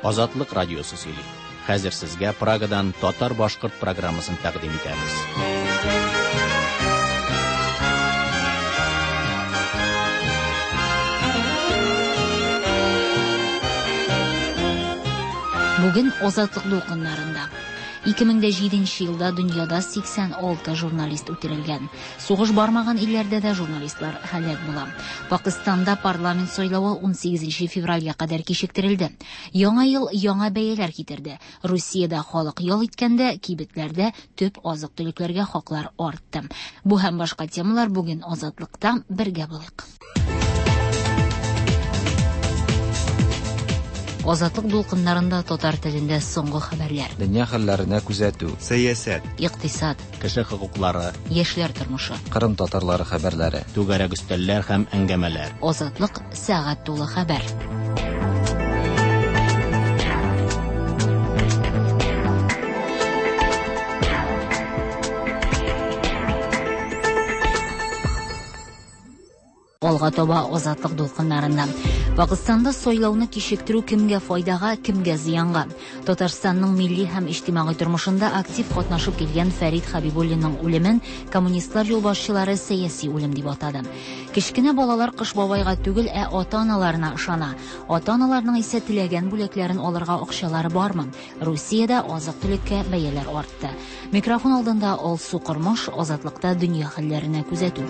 Азатлык радиосы сөйли. Хәзер сезгә Прагадан татар-башкорт программасын тәкъдим итәбез. Бүген Азатлык дулкыннарында 2007 елда дөньяда 86 журналист үтерелгән. Сугыш бармаган илләрдә дә журналистлар һәлак була. Пакыстанда парламент сайлавы 18 февральгә кадәр кичектерелде. Яңа ел яңа бәяләр китерде. Русиядә халык ял иткәндә, кибетләрдә төп азык-төлекләргә хаклар артты. Бу һәм башка темалар бүген Азатлыкта бергә булыйк. Азатлык дулкыннарында татар телендә соңгы хәбәрләр. Дөнья хәлләренә күзәтү. Сәясәт. Икътисад. Кеше хокуклары. Яшьләр тормышы. Кырым татарлары хәбәрләре. Түгәрәк өстәлләр һәм әңгәмәләр. Азатлык сәгать тулы хәбәр. Алга таба Азатлык дулкыннарында. Пакыстанда сайлауны кичектерү кемгә файдага, кемгә зыянга? Татарстанның милли һәм иҗтимагый тормышында актив катнашып килгән Фәрит Хәбибуллинның үлемен коммунистлар юлбашчылары сәяси үлем дип атады. Кечкенә балалар Кыш бабайга түгел, ә ата-аналарына ышана. Ата-аналарның исә теләгән бүләкләрен алырга акчалары бармы? Русиядә азык-төлеккә бәяләр артты. Микрофон алдында Алсу Кормаш, Азатлыкта дөнья хәлләренә күзәтү.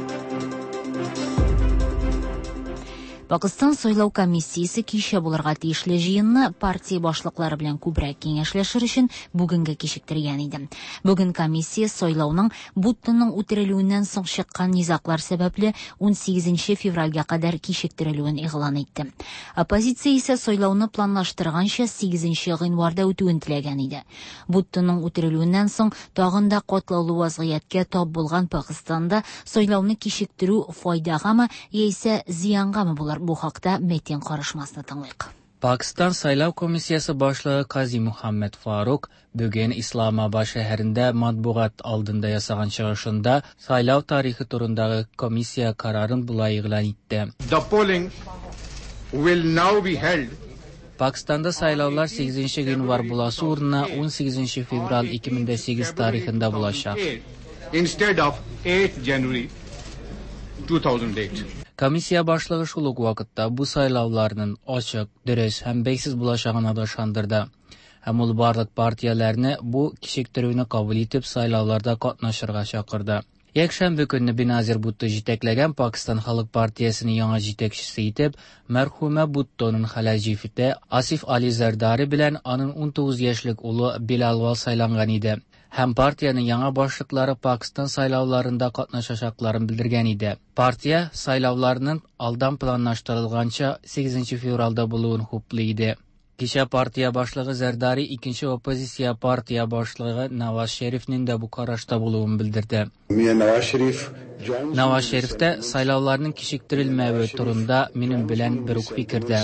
Пакыстан сайлау комиссиясе кичә булырга тиешле җыенны партия башлыклары белән күбрәк киңәшләшер өчен бүгенгә кичектергән иде. Бүген комиссия сайлауның Буттоның үтерелүеннән соң чыккан низаглар сәбәпле 18 февральгә кадәр кичектерелүен игълан итте. Оппозиция исә сайлауны планлаштырганча 8 гыйнварда үтүен теләгән иде. Буттоның үтерелүеннән соң тагын да катлаулы вазгыятькә тап булган Пакыстанда сайлауны кичектерү файдагамы яисә зыянгамы булыр? Бу хакта Метин карышмасны тыңлыйк. Пакыстан сайлау комиссиясе башлыгы Кази Мухаммед Фарук бүген Исламабад шәһәрендә матбугат алдында ясаган чыгышында сайлау тарихы турындагы комиссия карарын болай игълан итте. The polling will now be held Пакыстанда сайлаулар 8 гыйнвар буласы урынына 18 февраль 2008 тарихында булачак. Instead of 8 January 2008. Комиссия башлыгы шул ук вакытта бу сайлауларның ачык, дөрес һәм бәйсез булачагына да ышандырды. Һәм ул барлык партияләрне бу кичектерүне кабул итеп сайлауларда катнашырга чакырды. Якшәмбе көнне Беназир Бутто җитәкләгән Пакыстан халык партиясенең яңа җитәкчесе итеп мәрхүмә Буттоның хәләл җефете Асиф Али Зардари белән аның 19 яшьлек улы Билалвал сайланган иде. Һәм партиянең яңа башлыклары Пакыстан сайлауларында катнашачакларын белдергән иде. Партия сайлауларның алдан планлаштырылганча 8 февральдә булуын хуплый иде. Кичә партия башлыгы Зардари икенче оппозиция партия башлыгы Наваз Шәрифнең дә бу карашта булуын белдерде. Наваз Шәриф тә сайлауларның кичектерелмәве турында минем белән бер үк фикердә.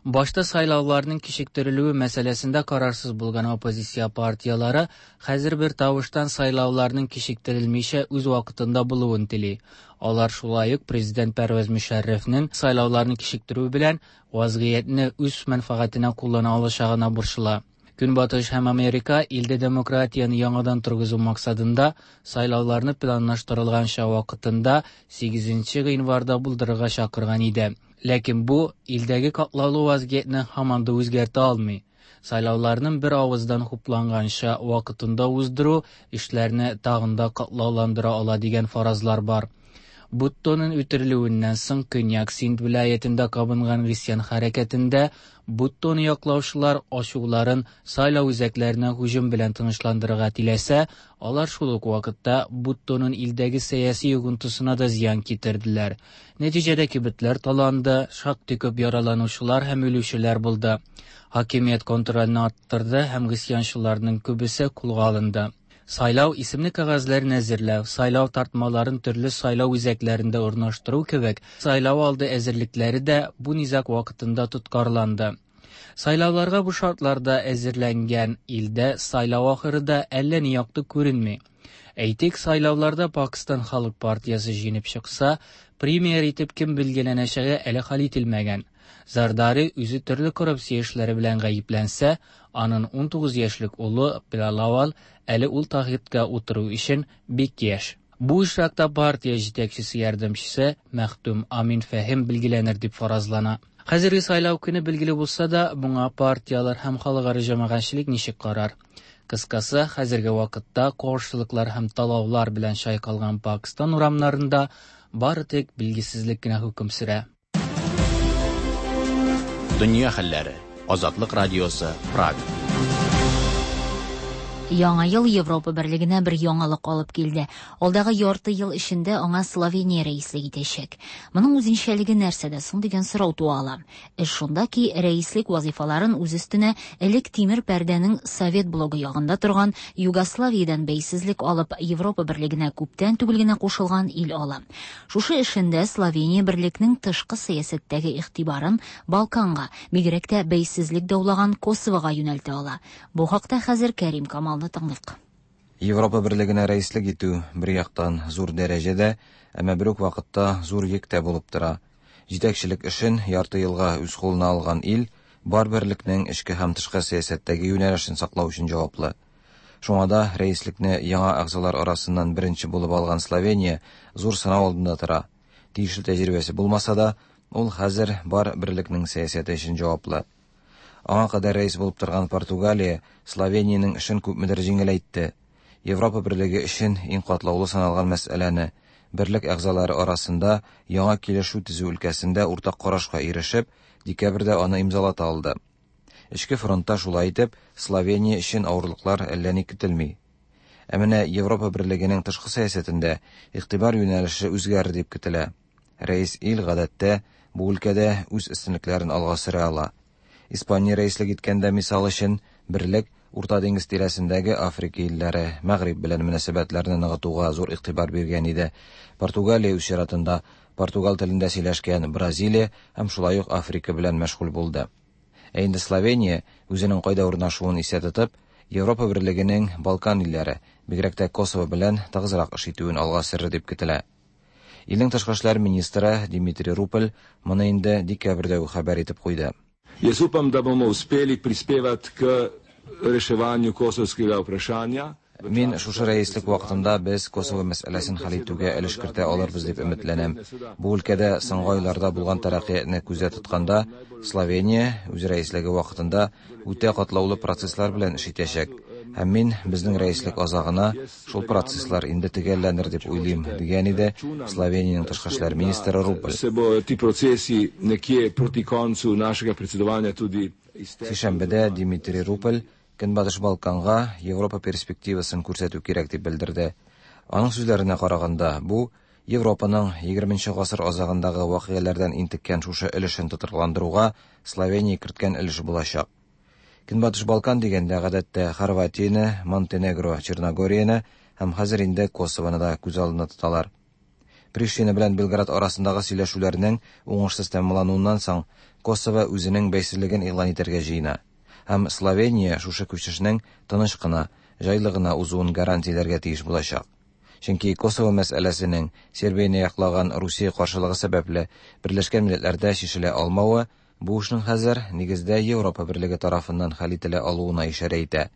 Башта сайлауларның кичектерелүе мәсьәләсендә карарсыз булган оппозиция партияләре хәзер бер тавыштан сайлауларның кичектерелмичә үз вакытында булуын тели. Алар шулай ук президент Пәрвәз Мөшәррәфнең сайлауларны кичектерү белән вазгыятьне үз мәнфәгатенә куллана алачагына борчыла. Көнбатыш һәм Америка илдә демократияне яңадан торгызу максатында сайлауларны планлаштырылганча вакытында 8 гыйнварда булдырырга чакырган иде. Ләкин бу илдәге катлаулы вазгыятьне һаман да үзгәртә алмый. Сайлауларның бер авыздан хупланганча вакытында уздыру эшләрне тагын да катлауландыра ала дигән фаразлар бар. Буттоның үтерелүеннән соң Көньяк Синд вилаятендә кабынган гыйсьян хәрәкәтендә Буттоны яклаучылар ачуларын сайлау үзәкләренә һөҗүм белән тынычландырырга теләсә, алар шул ук вакытта Буттоның илдәге сәяси йогынтысына да зыян китерделәр. Нәтиҗәдә кибетләр таланды, шактый күп яраланучылар һәм үлүчеләр булды. Хакимият контрольне арттырды һәм гыйсьянчыларның күбесе кулга алынды. Сайлау исемле кәгазьләрен әзерләү, сайлау тартмаларын төрле сайлау үзәкләрендә урнаштыру кебек сайлау алды әзерлекләре дә бу низаг вакытында тоткарланды. Сайлауларга бу шартларда әзерләнгән илдә сайлау ахыры да әллә ни якты күренми. Әйтик, сайлауларда Пакыстан халык партиясе җиңеп чыкса, премьер итеп кем билгеләнәчәге әле хәл ителмәгән. Зардари үзе төрле коррупция эшләре белән гаепләнсә, аның 19 яшьлек улы Билалавал әле ул тәхеткә утыру өчен бик яшь. Бу очракта партия җитәкчесе ярдәмчесе Мәхдүм Амин Фәһим билгеләнер дип фаразлана. Хәзерге сайлау көне билгеле булса да, моңа партияләр һәм халыкара җәмәгатьчелек ничек карар? Кыскасы, хәзерге вакытта каршылыклар һәм талаулар белән чайкалган Пакстан урамнарында бары тик билгесезлек кенә хөкем сөрә. Дөнья хәлләре. Азатлык радиосы, Прага. Яңа ел Европа берлегенә бер яңалык алып килде. Алдагы ярты ел эчендә аңа Словения рәислек итәчәк. Моның үзенчәлеге нәрсәдә соң дигән сорау туа ала. Эш шунда ки, рәислек вазифаларын үз өстенә элек тимер пәрдәнең совет блогы ягында торган Югославиядән бәйсезлек алып Европа берлегенә күптән түгел генә кушылган ил ала. Шушы эшендә Словения берлекнең тышкы сәясәттәге игътибарын Балканга, бигрәк тә бәйсезлек даулаган Косовога юнәлтә ала. Бу хакта хәзер Кәрим Камалны тыңлыйк. Европа берлегенә рәислек итү бер яктан зур дәрәҗәдә, әмма бер үк вакытта зур йөк тә булып тора. Җитәкчелек эшен ярты елга үз кулына алган ил бар берлекнең эчке һәм тышкы сәясәттәге юнәлешен саклау өчен җаваплы. Шуңа да рәислекне яңа әгъзалар арасыннан беренче булып алган Словения зур сынау алдында тора. Тиешле тәҗрибәсе булмаса да, ул хәзер бар берлекнең сәясәте өчен җаваплы. Аңа кадәр рәис булып торган Португалия Словениянең эшен күпмедер җиңеләйтте. Европа берлеге өчен иң катлаулы саналган мәсьәләне берлек әгъзалары арасында яңа килешү төзү өлкәсендә уртак карашка ирешеп, декабрьдә аны имзалата алды. Эчке фронтта шулай итеп, Словения өчен авырлыклар әллә ни көтелми. Ә менә Европа берлегенең тышкы сәясәтендә игътибар юнәлеше үзгәрер дип көтелә. Рәис ил гадәттә бу өлкәдә үз өстенлекләрен алга сөрә ала. Испания рәислек иткәндә мисал өчен берлек Урта диңгез тирәсендәге Африка илләре, Мәгъриб белән мөнәсәбәтләрне ныгытуга зур игътибар биргән иде. Португалия үз чиратында португал телендә сөйләшкән Бразилия һәм шулай ук Африка белән мәшгуль булды. Ә инде Словения үзенең кайда урнашуын истә тотып, Европа берлегенең Балкан илләре, бигрәк тә Косово белән тыгызрак эш итүен алга сөрер дип көтелә. Илнең тышкы эшләр министры Дмитрий Рупель моны инде декабрьдә үк хәбәр итеп куйды. Jaz upam, da bomo uspeli prispevati k reševanju kosovskega vprašanja. Мин шушы рәислек вакытында без Косово мәсьәләсен хәл итүгә өлеш кертә алырбыз дип өметләнәм. Бу өлкәдә соңгы айларда булган тәрәккыятьне күздә тотканда, Словения үз рәислеге вакытында үтә катлаулы процесслар белән эш итәчәк. Һәм мин безнең рәислек азагына шул процесслар инде төгәлләнер дип уйлыйм, дигән иде Словениянең тышкы эшләр министры Рупель. Se bodo ti procesi nekje proti koncu našega predsedovanja tudi Сишәмбедә Дмитрий Рупель Көнбатыш Балканга Европа перспективасын күрсәтү кирәк дип белдерде. Аның сүзләренә караганда, бу Европаның 20 гасыр азагындагы вакыйгалардан интеккән шушы өлешен тотрыкландыруга Словения керткән өлеш булачак. Көнбатыш Балкан дигәндә гадәттә Хорватияне, Монтенегро, Черногорияне һәм хәзер инде Косовоны да күз алдында тоталар. Приштина белән Белград арасындагы сөйләшүләрнең уңышсыз тәмамлануыннан соң Косово үзенең бәйсезлеген игълан итәргә җыена. Һәм Словения шушы күчешнең тыныч кына, җайлы гына узуын гарантияләргә тиеш булачак. Чөнки Косово мәсьәләсенең Сербияне яклаган Русия каршылыгы сәбәпле Берләшкән Милләтләрдә чишелә алмавы бу эшнең хәзер нигездә Европа берлеге тарафыннан хәл ителә алуына ишарә итә.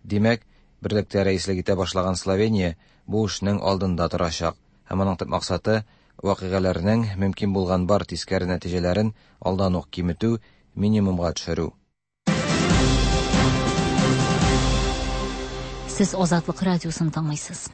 Димәк, берлектә рәислек итә башлаган Словения бу эшнең алдында торачак. Һәм аның төп максаты вакыйгаларның мөмкин булган бар тискәре нәтиҗәләрен алдан ук киметү, минимумга төшерү. Сез Азатлык радиосын тыңлыйсыз.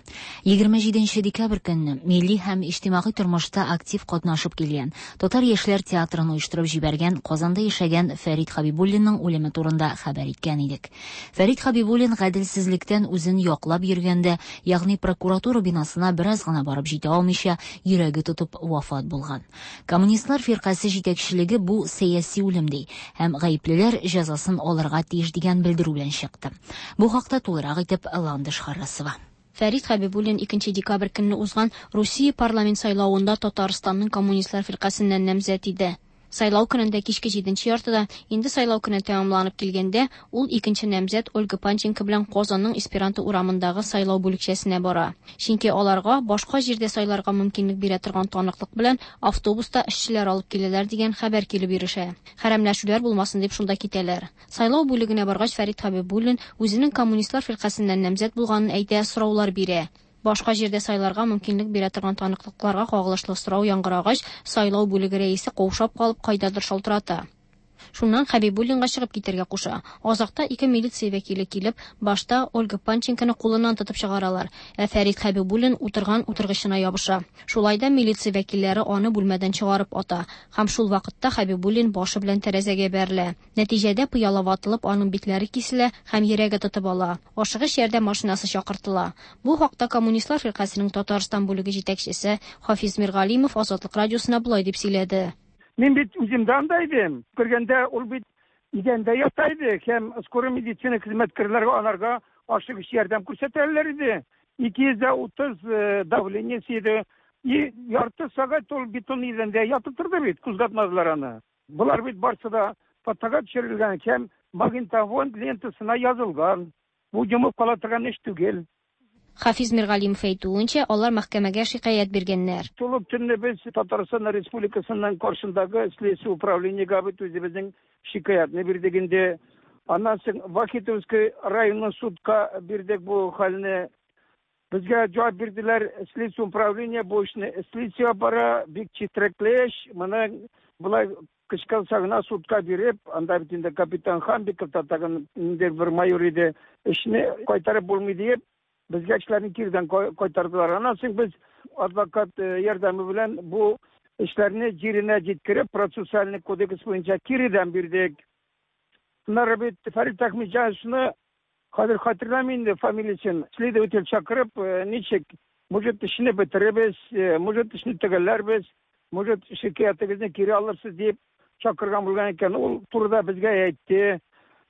27 декабрь көнне милли һәм иҗтимагый тормышта актив катнашып килгән Татар яшьләр театрын оештырып җибәргән Казанда яшәгән Фәрит Хабибуллинның үлеме турында хәбәр иткән идек. Фәрит Хабибуллин гаделсезлектән үзен яклап йөргәндә, ягъни прокуратура бинасына бераз гына барып җитә алмыйча, йөрәге тотып вафат булган. Коммунистлар фиркасе җитәкчелеге бу сәяси үлем ди һәм гаеплеләр җәзасын алырга тиеш дигән белдерү белән чыкты. Бу хакта тулырак итеп Ландыш Харрасова. Фәрит Хәбибуллин 2 декабрь көнне узган Русия парламент сайлавында Татарстанның коммунистлар фиркасеннән намзәт иде. Сайлау көнендә кичке җиденче яртыда, инде сайлау көне тәмамланып килгәндә, ул икенче намзәт Ольга Панченко белән Казанның Эсперанто урамындагы сайлау бүлекчәсенә бара. Чөнки аларга башка җирдә сайларга мөмкинлек бирә торган таныклык белән автобуста эшчеләр алып киләләр дигән хәбәр килеп ирешә. Хәрәмләшүләр булмасын дип шунда китәләр. Сайлау бүлегенә баргач Фәрит Хәбибуллин үзенең коммунистлар фиркасеннән намзәт булганын әйтә, сораулар бирә. Башка җирдә сайларга мөмкинлек бирә торган таныклыкларга кагылышлы сорау яңгырагач, сайлау бүлеге рәисе каушап калып кайдадыр шалтырата. Шуннан Хәбибуллинга чыгып китәргә куша. Азакта ике милиция вәкиле килеп, башта Ольга Панченконы кулыннан тотып чыгаралар, ә Фәрит Хәбибуллин утырган утыргычына ябыша. Шулай да милиция вәкилләре аны бүлмәдән чыгарып ата һәм шул вакытта Хәбибуллин башы белән тәрәзәгә бәрелә. Нәтиҗәдә пыяла ватылып, аның битләре киселә һәм йөрәге тотып ала. Ашыгыч ярдәм машинасы чакыртыла. Бу хакта Коммунистлар фиркасенең Татарстан бүлеге җитәкчесе Хафиз Миргалимов Азатлык радиосына болай дип сөйләде. Мин бит үзем дә анда идем. Күргәндә ул бит идәндә ята иде һәм скорый медицина хезмәткәрләре анарга ашыгыч ярдәм күрсәтәләр иде. 230 давлениесе иде. И ярты сәгать ул бетон идәндә ятып торды бит, кузгатмадылар аны. Болар бит барсы да фотога төшерелгән һәм магнитофон лентасына язылган. Бу йомып кала торган эш түгел. Хафиз Миргалимов әйтүенчә, алар мәхкәмәгә шикаять биргәннәр. Шул ук төнне без Татарстан Республикасының каршындагы следствие управлениегә бит үзебезнең шикаятьне бирдек инде. Аннан соң Вахитовский районный судка бирдек бу хәлне. Безгә җавап бирделәр, следствие управление бу эшне следствие бара, бик четрекле эш. Моны болай кычкырса гына судка биреп, анда бит инде капитан Хамбиков та тагын инде бер майор иде, эшне кайтарып булмый диеп, безгә эшләрне кирдән кайтардылар. Аннан соң без адвокат ярдәме белән бу эшләрне җиренә җиткереп, процессуальный кодекс буенча киредән бирдек. Аннары бит Фәрит Әхмәтҗановичны хәзер хәтерләмим инде фамилиясен, следователь чакырып, ничек, может, эшне бетеребез, может, эшне төгәлләрбез, может, шикаятегезне кире алырсыз дип чакырган булган икән. Ул турыда безгә әйтте.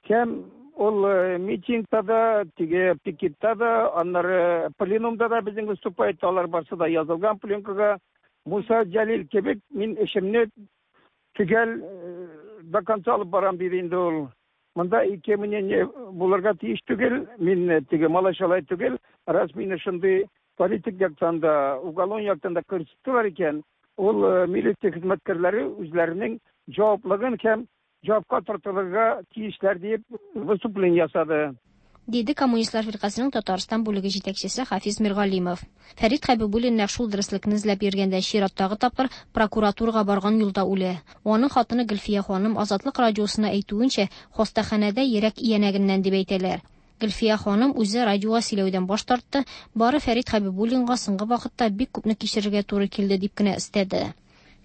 Һәм ул митингта да, теге пикетта да, аннары пленумда да безнең выступать, алар барсы да язылган пленкага. Муса Җәлил кебек мин эшемне төгәл до конца алып барам диде инде ул. Монда ике мнение булырга тиеш түгел, мин теге малай-шалай түгел, раз мине шундый политик яктан да, уголовный яктан да күрсәттеләр икән, ул милиция хезмәткәрләре үзләренең җаваплыгын һәм җавапка тартылырга тиешләр дип выступление ясады. Диде Коммунистлар фиркасенең Татарстан бүлеге җитәкчесе Хафиз Миргалимов. Фәрит Хәбибуллин нәкъ шул дөреслекне эзләп йөргәндә чираттагы тапкыр прокуратурага барган юлда үлә. Аның хатыны Гөлфия ханым Азатлык радиосына әйтүенчә, хастаханәдә йөрәк иянәгеннән дип әйтәләр. Гөлфия ханым үзе радиога сөйләүдән баш тартты, бары Фәрит Хәбибуллинга соңгы вакытта бик күпне кичерергә туры килде дип кенә өстәде.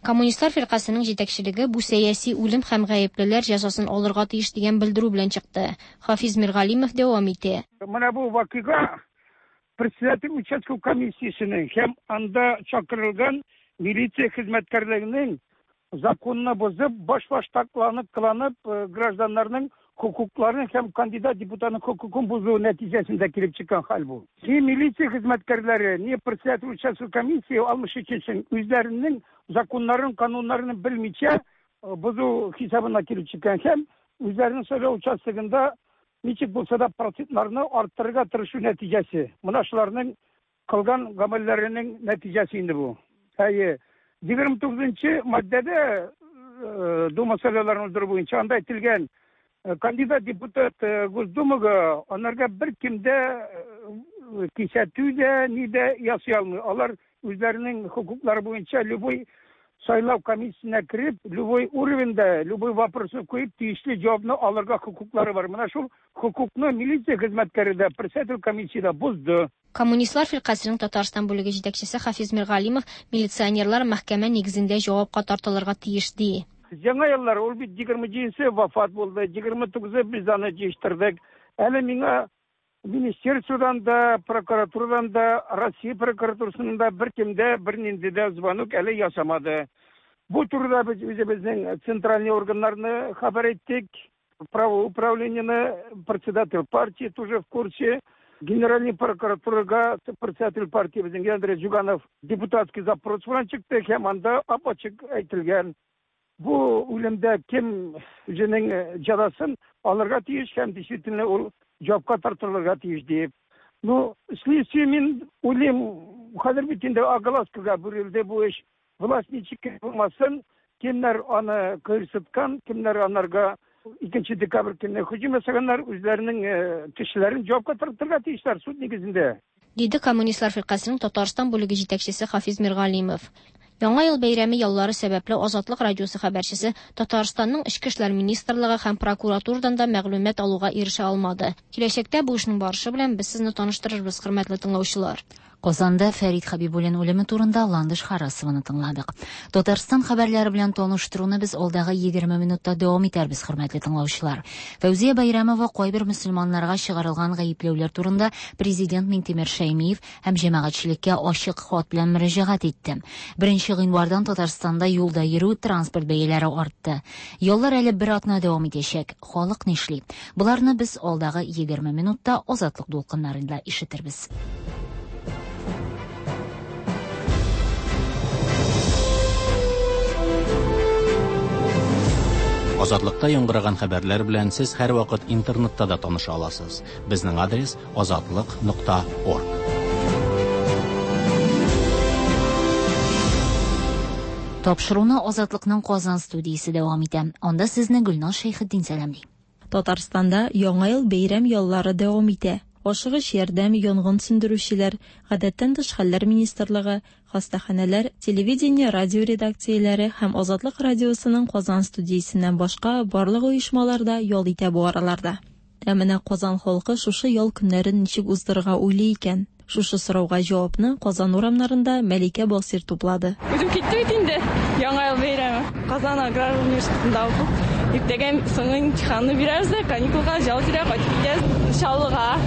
Коммунистлар фиркасенең җитәкчелеге бу сәяси үлем һәм гаеплеләр җәзасын алырга тиеш дигән белдерү белән чыкты. Хафиз Миргалимов дәвам итә. Менә бу вакыйга председатель участковый комиссиясенең һәм анда чакырылган милиция хезмәткәрләренең законны бозып, башбаштакланып кыланып, гражданнарның хокукларын һәм кандидат депутатның хокукын бозу нәтиҗәсендә килеп чыккан хәл бу. Ни милиция хезмәткәрләре, ни председатель участковый комиссия 63 үзләренең законнарын, кануннарын белмичә бозу хисабына килеп чыккан һәм үзләренең сайлау участогында ничек булса да процентларны арттырырга тырышу нәтиҗәсе. Менә шуларның кылган гамәлләренең нәтиҗәсе инде бу. Әйе, 29 маддәдә Дума сайлауларын уздыру буенча анда әйтелгән, кандидат депутат Госдумага анарга бер кем дә кисәтү дә, ни дә ясый алмый. Алар үзләренең хокуклары буенча любой сайлау комиссиясенә кереп, любой уровеньда, любой вопросны куеп, тиешле җавапны алырга хокуклары бар. Менә шул хокукны милиция хезмәткәре дә, председатель комиссия дә бозды. Коммунистлар фиркасенең Татарстан бүлеге җитәкчесе Хафиз Миргалимов милиционерлар мәхкәмә нигезендә җавапка тартылырга тиеш ди. Яңа еллар ул бит 27-се вафат булды, 29-ы без аны җыештырдык. Әле миңа министерстводан да, прокуратурадан да, Россия прокуратурасының да бер кем дә бернинди дә звонок әле ясамады. Бу турыда без үзебезнең центральный органнарны хәбәр иттек. Правоуправлениене, председатель партии тоже в курсе. Генеральный прокуратурага председатель партии безнең Андрей Зюганов депутатский запрос белән чыкты һәм анда ап-ачык әйтелгән. Бу үлемдә кем үзенең җәзасын алырга тиеш һәм действительно ул җавапка тартылырга тиеш диеп. Ну, следствие, мин уйлыйм, хәзер бит инде огласкага бирелде бу эш. Власть ничек кенә булмасын, кемнәр аны кыерсыткан, кемнәр анарга 2 декабрь көнне һөҗүм ясаганнар, үзләренең кешеләрен җавапка тартырга тиешләр суд нигезендә. Диде Коммунистлар фиркасенең Татарстан бүлеге җитәкчесе Хафиз Миргалимов. Яңа ел бәйрәме яллары сәбәпле Азатлык радиосы хәбәрчесе Татарстанның Эчке эшләр министрлыгы һәм прокуратурадан да мәгълүмат алуга ирешә алмады. Киләчәктә бу эшнең барышы белән без сезне таныштырырбыз, хөрмәтле тыңлаучылар. Казанда Фәрит Хәбибуллин үлеме турында Ландыш Харасованы тыңладык. Татарстан хәбәрләре белән таныштыруны без алдагы 20 минутта дәвам итәрбез, хөрмәтле тыңлаучылар. Фәүзия Бәйрәмова кайбер мөселманнарга чыгарылган гаепләүләр турында президент Минтимер Шәймиев һәм җәмәгатьчелеккә ачык хат белән мөрәҗәгать итте. Беренче гыйнвардан Татарстанда юлда йөрү, транспорт бәяләре артты. Яллар әле бер атна дәвам итәчәк. Халык нишли? Боларны без алдагы 20 минутта Азатлык дулкыннарында ишетербез. Азатлыкта яңгыраган хәбәрләр белән сез һәрвакыт интернетта да таныша аласыз. Безнең адрес азатлык.орг. Тапшыруны Азатлыкның Казан студиясе дәвам итә. Анда сезне Гөлназ Шәйхетдин сәламли. Татарстанда Яңа ел бәйрәм яллары дәвам итә. Ашыгыч ярдәм, янгын сүндерүчеләр, Гадәттән тыш хәлләр министрлыгы, хастаханәләр, телевидение, радио редакцияләре һәм Азатлык радиосының Казан студиясеннән башка барлык оешмалар да ял итә бу араларда. Ә менә Казан халкы шушы ял көннәрен ничек уздырырга уйлый икән? Шушы сорауга җавапны Казан урамнарында Мәликә Басыйр туплады. Үтеп китте бит инде Яңа ел бәйрәме. Казан аграр университетында укып, иртәгә соңгы имтиханны бирәбез дә, каникулга ял итәргә кайтып китәбез Чаллыга.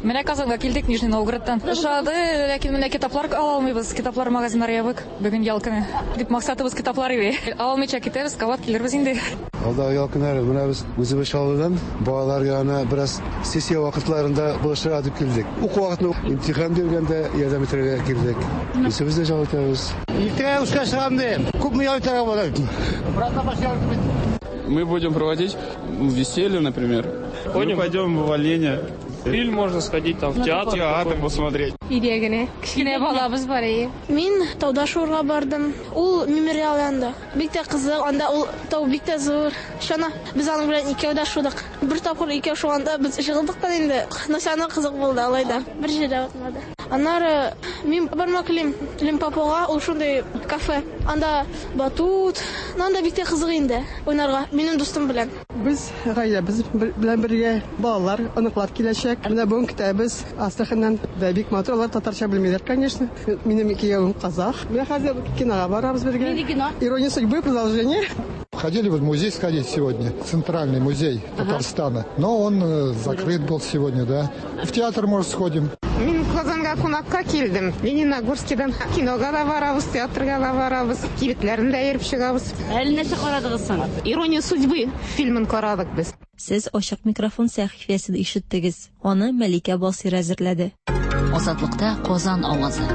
Менә Казанга килдек Нижний Новгородтан. Ошады, ләкин менә китаплар ала алмыйбыз. Китаплар магазиннары ябык. Бүген ял көне. Дип максатыбыз китаплар иде. Ала алмыйча китәбез, кабат килербез инде. Алдагы ял көннәре менә без үзебез Чаллыдан балалар янына бераз сессия вакытларында булышырга дип килдек. Уку вакытында имтихан биргәндә ярдәм итәргә килдек. Үзебез дә ял итәбез. Иртәгә эшкә чыгам дим. Күпме ял итәргә була? Мы будем проводить веселье, например. Мы пойдем в оленя. Фильм можно сходить, там, в театр. Театр посмотреть. Өйдә генә. Кечкенә балабыз бар иде. Мин тауда шуырга бардым. Ул мемориал янында. Бик тә кызык, анда ул тау бик тә зур. Чана. Без аның белән икәү дә шудык. Бер тапкыр икәү шуганда без җыгылдык та инде. Но все кызык булды алай да. Бер җирдә батмады. Аннары мин бармак телим Лимпопога, ул шундый кафе. Анда батут, анда бик тә кызык инде уйнарга минем дустым белән. Без гаиләбез белән бергә балалар, оныклар киләчәк. Менә бүген көтәбез Астраханьнан. Да бик матур, алар татарча белмиләр, конечно. Минем киявем казах. Менә хәзер кинога барабыз бергә. Нинди кино? Ирония судьбы, продолжение. Хотели в музей сходить сегодня, Центральный музей Татарстана, но он закрыт был сегодня, да. В театр, может, сходим. Мин Казанга кунакка килдем. Лениногорскидан кинога да барабыз, театрга да барабыз, кибетләрен дә йөреп чыгабыз. Әле нәрсә карадыгыз соң? Ирония судьбы фильмын карадык без. Сез Ачык микрофон сәхифәсен ишеттегез. Аны Мәликә Басыйр әзерләде. Азатлыкта Казан авазы.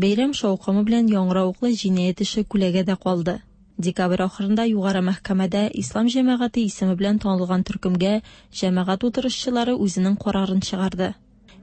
Бәйрәм шаукымы белән яңгыравыклы җинаять эше күләгәдә калды. Декабрь ахырында Югары мәхкәмәдә Ислам җәмәгате исеме белән танылган төркемгә җәмәгать утырышчылары үзенең карарын чыгарды.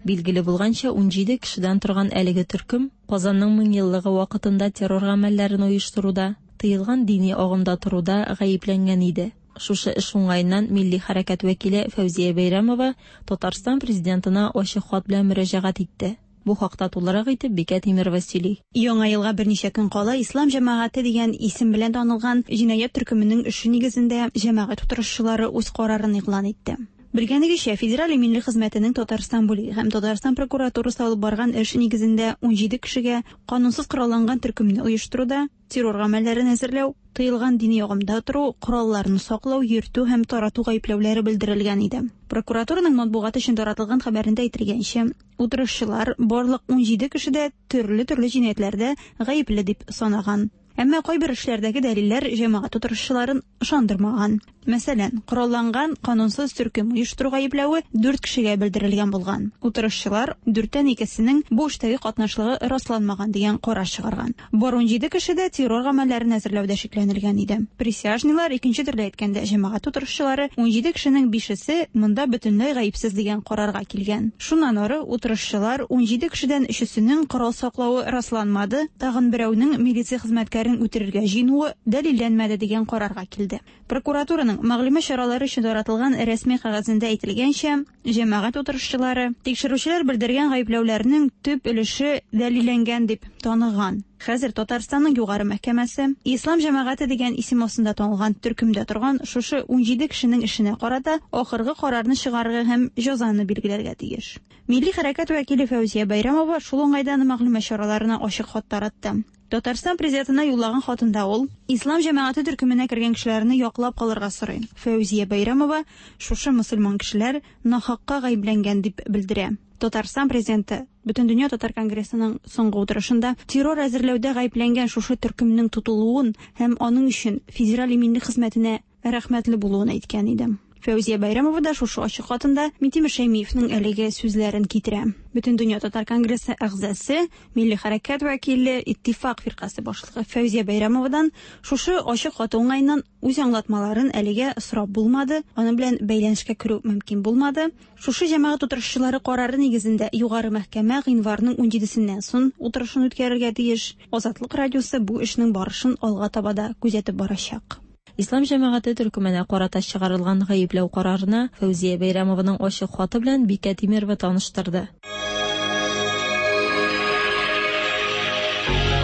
Билгеле булганча, 17 кешедән торган әлеге төркем Казанның меңьеллыгы вакытында террор гамәлләрен оештыруда, тыелган дини агымда торуда гаепләнгән иде. Шушы эш уңаеннан милли хәрәкәт вәкиле Фәүзия Бәйрәмова Татарстан президентына ачык хат белән мөрәҗәгать итте. Бу хакта тулырак итеп Бикә Тимирова сөйли. Яңа елга берничә көн кала Ислам җәмәгате дигән исем белән танылган җинаять төркеменең эше нигезендә җәмәгать утырышчылары үз карарын игълан итте. Белгәнегезчә, Федераль иминлек хезмәтенең Татарстан бүлеге һәм Татарстан прокуратурасы алып барган эш нигезендә 17 кешегә канунсыз коралланган төркемне оештыруда, террор гамәлләрен әзерләү, тыелган дини агымда тору, коралларны саклау, йөртү һәм тарату гаепләүләре белдерелгән иде. Прокуратураның матбугат өчен таратылган хәбәрендә әйтелгәнчә, утырышчылар барлык 17 кеше дә төрле-төрле җинаятьләрдә гаепле дип санаган. Әмма кайбер эшләрдәге дәлилләр җәмәгать утырышчыларын ышандырмаган. Мәсәлән, коралланган канунсыз төркем оештыру гаепләве 4 кешегә белдерелгән булган. Утырышчылар дүрттән икесенең бу эштәге катнашлыгы расланмаган дигән карар чыгарган. Бар 17 кеше дә террор гамәлләрен әзерләүдә шикләнелгән иде. Присяжныйлар, икенче төрле әйткәндә, җәмәгать утырышчылары 17 кешенең бишесе монда бөтенләй гаепсез дигән карарга килгән. Шуннан ары утырышчылар 17 кешедән өчесенең корал саклавы расланмады, тагын берәүнең милиция хезмәткәрен үтерергә җыенуы дәлилләнмәде дигән карарга килде. Прокуратураның мәгълүмат чаралары өчен таратылган рәсми кәгазендә әйтелгәнчә, җәмәгать утырышчылары тикшерүчеләр белдергән гаепләүләрнең төп өлеше дәлилләнгән дип таныган. Хәзер Татарстанның Югары мәхкәмәсе Ислам җәмәгате дигән исем астында танылган төркемдә торган шушы 17 кешенең эшенә карата ахыргы карарны чыгарырга һәм җәзаны билгеләргә тиеш. Милли хәрәкәт вәкиле Фәүзия Бәйрәмова шул уңайдан мәгълүмат чараларына ачык хат таратты. Татарстан президентына юллаган хатында ул Ислам җәмәгате төркеменә кергән кешеләрне яклап калырга сорый. Фәүзия Бәйрәмова шушы мөселман кешеләр нахакка гаепләнгән дип белдерә. Татарстан президенты Бөтендөнья татар конгрессының соңгы утырышында террор әзерләүдә гаепләнгән шушы төркемнең тотылуын һәм аның өчен Федераль иминлек хезмәтенә рәхмәтле булуын әйткән иде. Фәүзия Бәйрәмова да шушы ачык хатында Минтимер Шәймиевның әлеге сүзләрен китерә. Бөтендөнья татар конгрессы әгъзасы, милли хәрәкәт вәкиле, Иттифак фиркасе башлыгы Фәүзия Бәйрәмовадан шушы ачык хаты уңаеннан үз аңлатмаларын әлегә сорап булмады, аның белән бәйләнешкә керү мөмкин булмады. Шушы җәмәгать утырышчылары карары нигезендә Югары мәхкәмә гыйнварның 17-сеннән соң утырышын үткәрергә тиеш. Азатлык радиосы бу эшнең барышын алга таба да күзәтеп барачак. Ислам җәмәгате төркеменә карата чыгарылган гаепләү карарына Фәүзия Бәйрәмованың ачык хаты белән Бикә Тимерова таныштырды.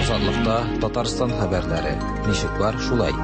Азатлыкта Татарстан хәбәрләре. Ничек бар, шулай.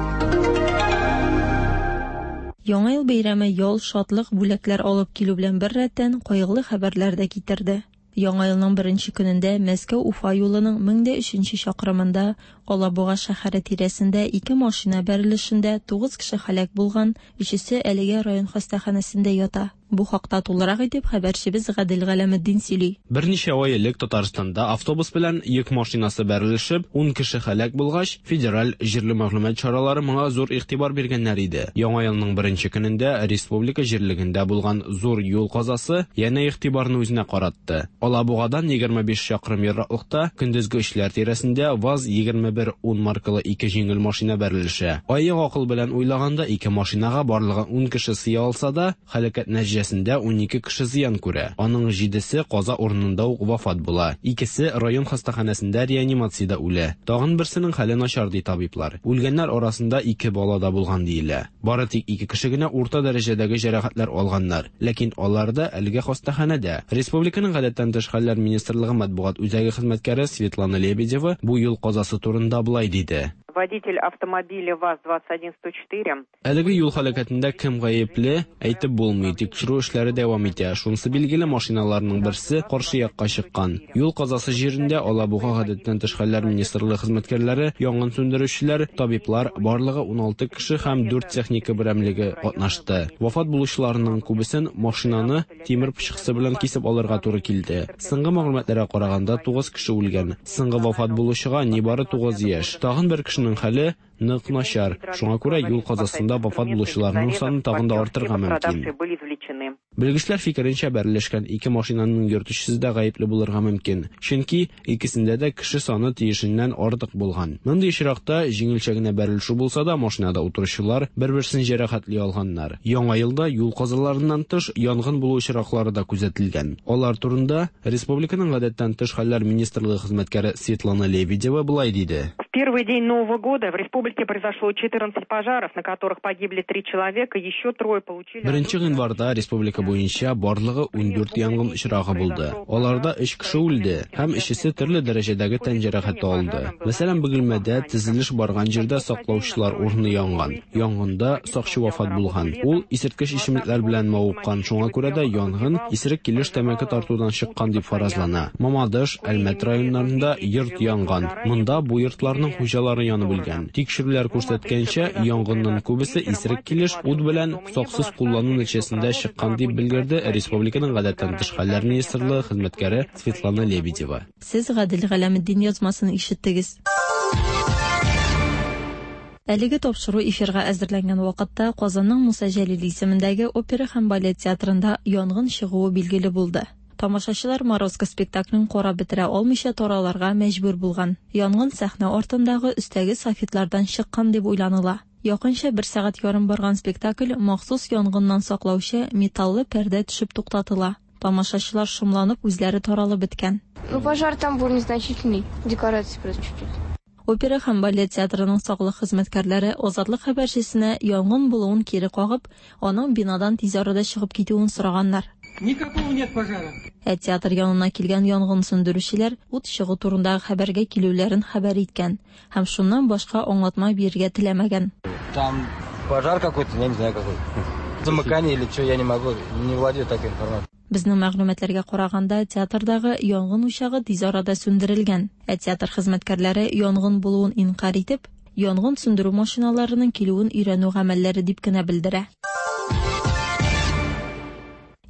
Яңа ел бәйрәме ял, шатлык, бүләкләр алып килү белән беррәттән кайгылы хәбәрләр дә китерде. Яңа елның беренче көнендә Мәскәү-Уфа юлының 1003 чакрымында Алабуга шәһәре тирәсендә ике машина бәрелешендә 9 кеше һәлак булган, өчесе әлегә район хастаханәсендә ята. Бу хакта тулырак итеп хәбәрчебез Гадел Галәметдин сөйли. Берничә ай элек Татарстанда автобус белән йөк машинасы бәрелешеп, 10 кеше һәлак булгач, федераль җирле мәгълүмат чаралары моңа зур игътибар биргәннәр иде. Яңа елның беренче көнендә республика җирлегендә булган зур юл казасы янә игътибарны үзенә каратты. Алабугадан 25 чакрым ераклыкта көндезге өчләр тирәсендә ВАЗ 2110 маркалы ике җиңел машина бәрелешә. Аек акыл белән уйлаганда ике машинага барлыгы 10 кеше сыя алса да, һәлакәт нәтиҗәсендә 12 кеше зыян күрә. Аның җидесе каза урынында ук вафат була. Икесе район хастаханәсендә реанимациядә үлә. Тагын берсенең хәле начар ди табиблар. Үлгәннәр арасында ике бала да булган диелә. Бары тик ике кеше генә урта дәрәҗәдәге җәрәхәтләр алганнар. Ләкин алар да әлегә хастаханәдә. Республиканың гадәттән тыш хәлләр министрлыгы матбугат үзәге хезмәткәре Светлана Лебедева бу юл казасы турында болай диде. Водитель автомобиля ВАЗ-21104 Әлеге юл һәлакәтендә кем гаепле, әйтеп булмый. Тикшерү эшләре дәвам итә. Шунысы билгеле, машиналарның берсе каршы якка чыккан. Юл казасы җирендә Алабуга гадәттән тыш хәлләр министрлыгы хезмәткәрләре, янгын сүндерүчеләр, табиблар, барлыгы 16 кеше һәм 4 техника берәмлеге катнашты. Вафат булучыларның күбесен машинаны тимер пычкысы белән кисеп алырга туры килде. Соңгы мәгълүматларга караганда, 9 кеше үлгән. Соңгы вафат булучыга нибары 9 яшь. Тагын бер кешенең хәле нык начар. Шуңа күрә юл казасында вафат булучыларның саны тагын да артырга мөмкин. Белгечләр фикеренчә, бәрелешкән ике машинаның йөртүчесе дә гаепле булырга мөмкин. Чөнки икесендә дә кеше саны тиешеннән артык булган. Мондый очракта җиңелчә генә бәрелешү булса да, машинада утыручылар бер-берсен җәрәхәтли алганнар. Яңа елда юл казаларыннан тыш янгын булу очраклары да күзәтелгән. Алар турында республиканың гадәттән тыш хәлләр министрлыгы хезмәткәре Светлана Лебедева болай диде. В первый день Нового года в республике произошло 14 пожаров, на которых погибли 3 человека, еще трое получили... Беренче гыйнварда республика буенча барлыгы 14 янгын очрагы булды. Аларда 3 кеше үлде һәм өчесе төрле дәрәҗәдәге тән җәрәхәте алды. Мәсәлән, Бөгелмәдә төзелеш барган җирдә саклаучылар урыны янган. Янгында сакчы вафат булган. Ул исерткеч эчемлекләр белән мавыккан, шуңа күрә дә янгын исерек килеш тәмәке тартудан чыккан дип фаразлана. Мамадыш, Әлмәт районнарында йорт янган. Монда бу йортларның хуҗалары янып үлгән. Тикшерүләр күрсәткәнчә, янгынның күбесе исерек килеш ут белән саксыз куллану нәтиҗәсендә чыккан дип белдерде республиканың гадәттән тыш хәлләр министрлыгы хезмәткәре Светлана Лебедева. Сез Гадел Галәметдин язмасын ишеттегез. Әлеге тапшыру эфирга әзерләнгән вакытта Казанның Муса Җәлил исемендәге опера һәм балет театрында янгын чыгуы билгеле булды. Тамашачылар Морозко спектаклен карап бетерә алмыйча таралырга мәҗбүр булган. Янгын сәхнә артындагы өстәге софитлардан чыккан дип уйланыла. Якынча бер сәгать ярым барган спектакль махсус янгыннан саклаучы металлы пәрдә төшеп туктатыла. Тамашачылар шомланып үзләре таралып беткән. Ну, пожар там был незначительный, декорации просто чуть-чуть. Опера һәм балет театрының саклык хезмәткәрләре Азатлык хәбәрчесенә янгын булуын кире кагып, аның бинадан тиз арада чыгып китүен сораганнар. Никакого нет пожара. Ә театр янына килгән янгын сүндерүчеләр ут чыгу турындагы хәбәргә килүләрен хәбәр иткән һәм шуннан башка аңлатма бирергә теләмәгән. Там пожар какой-то, я не знаю какой. Замыкание или что, я не могу, не владею такой информацией. Безнең мәгълүматларга караганда, театрдагы янгын учагы тиз арада сүндерелгән. Ә театр хезмәткәрләре янгын булуын инкарь итеп, янгын сүндерү машиналарының килүен өйрәнү гамәлләре дип кенә белдерә.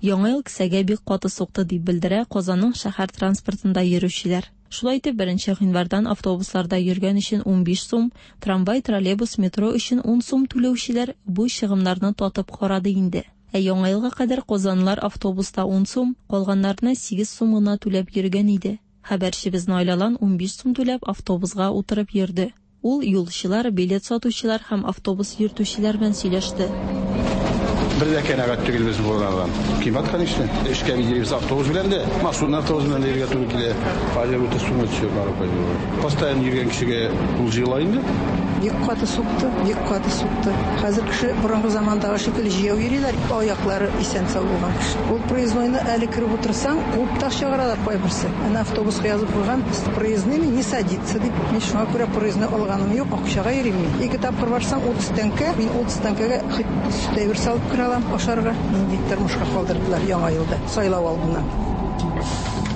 Яңа ел кесәгә бик каты сукты дип белдерә Казанның шәһәр транспортында йөрүчеләр. Шулай итеп, 1 гыйнвардан автобусларда йөргән өчен 15 сум, трамвай, троллейбус, метро өчен 10 сум түләүчеләр бу чыгымнарны татып карады инде. Ә яңа елга кадәр казанлылар автобуста 10 сум, калганнарына 8 сум гына түләп йөргән иде. Хәбәрчебез Наил Алан 15 сум түләп автобусга утырып йөрде. Ул юлчылар, билет сатучылар һәм автобус йөртүчеләр белән сөйләште. Бер дә кәнәгать түгел без булганнардан. Кыйммәт, конечно. Эшкә бит йөрибез автобус белән дә, маршрутный автобус белән дә йөрергә туры килә. Аеруча сумма төшә барып. Постоянно йөргән кешегә ул җыела инде. Бик каты сукты, бик каты сукты. Хәзер кеше борынгы замандагы шикелле җәяү йөриләр, аяклары исән-сау булган кеше. Ул проезднойны әле кереп утырсаң, куып та чыгаралар кайберсе. Әнә автобуска язып куйган, с проездными не садиться дип. Мин шуңа күрә проездной алганым юк, акчага йөрим мин. Ике тапкыр барсаң, 30 тәңкә, мин 30 тәңкәгә хоть сөт әйбер салып керә алам ашарга. Нинди тормышка калдырдылар яңа елда, сайлау алдыннан.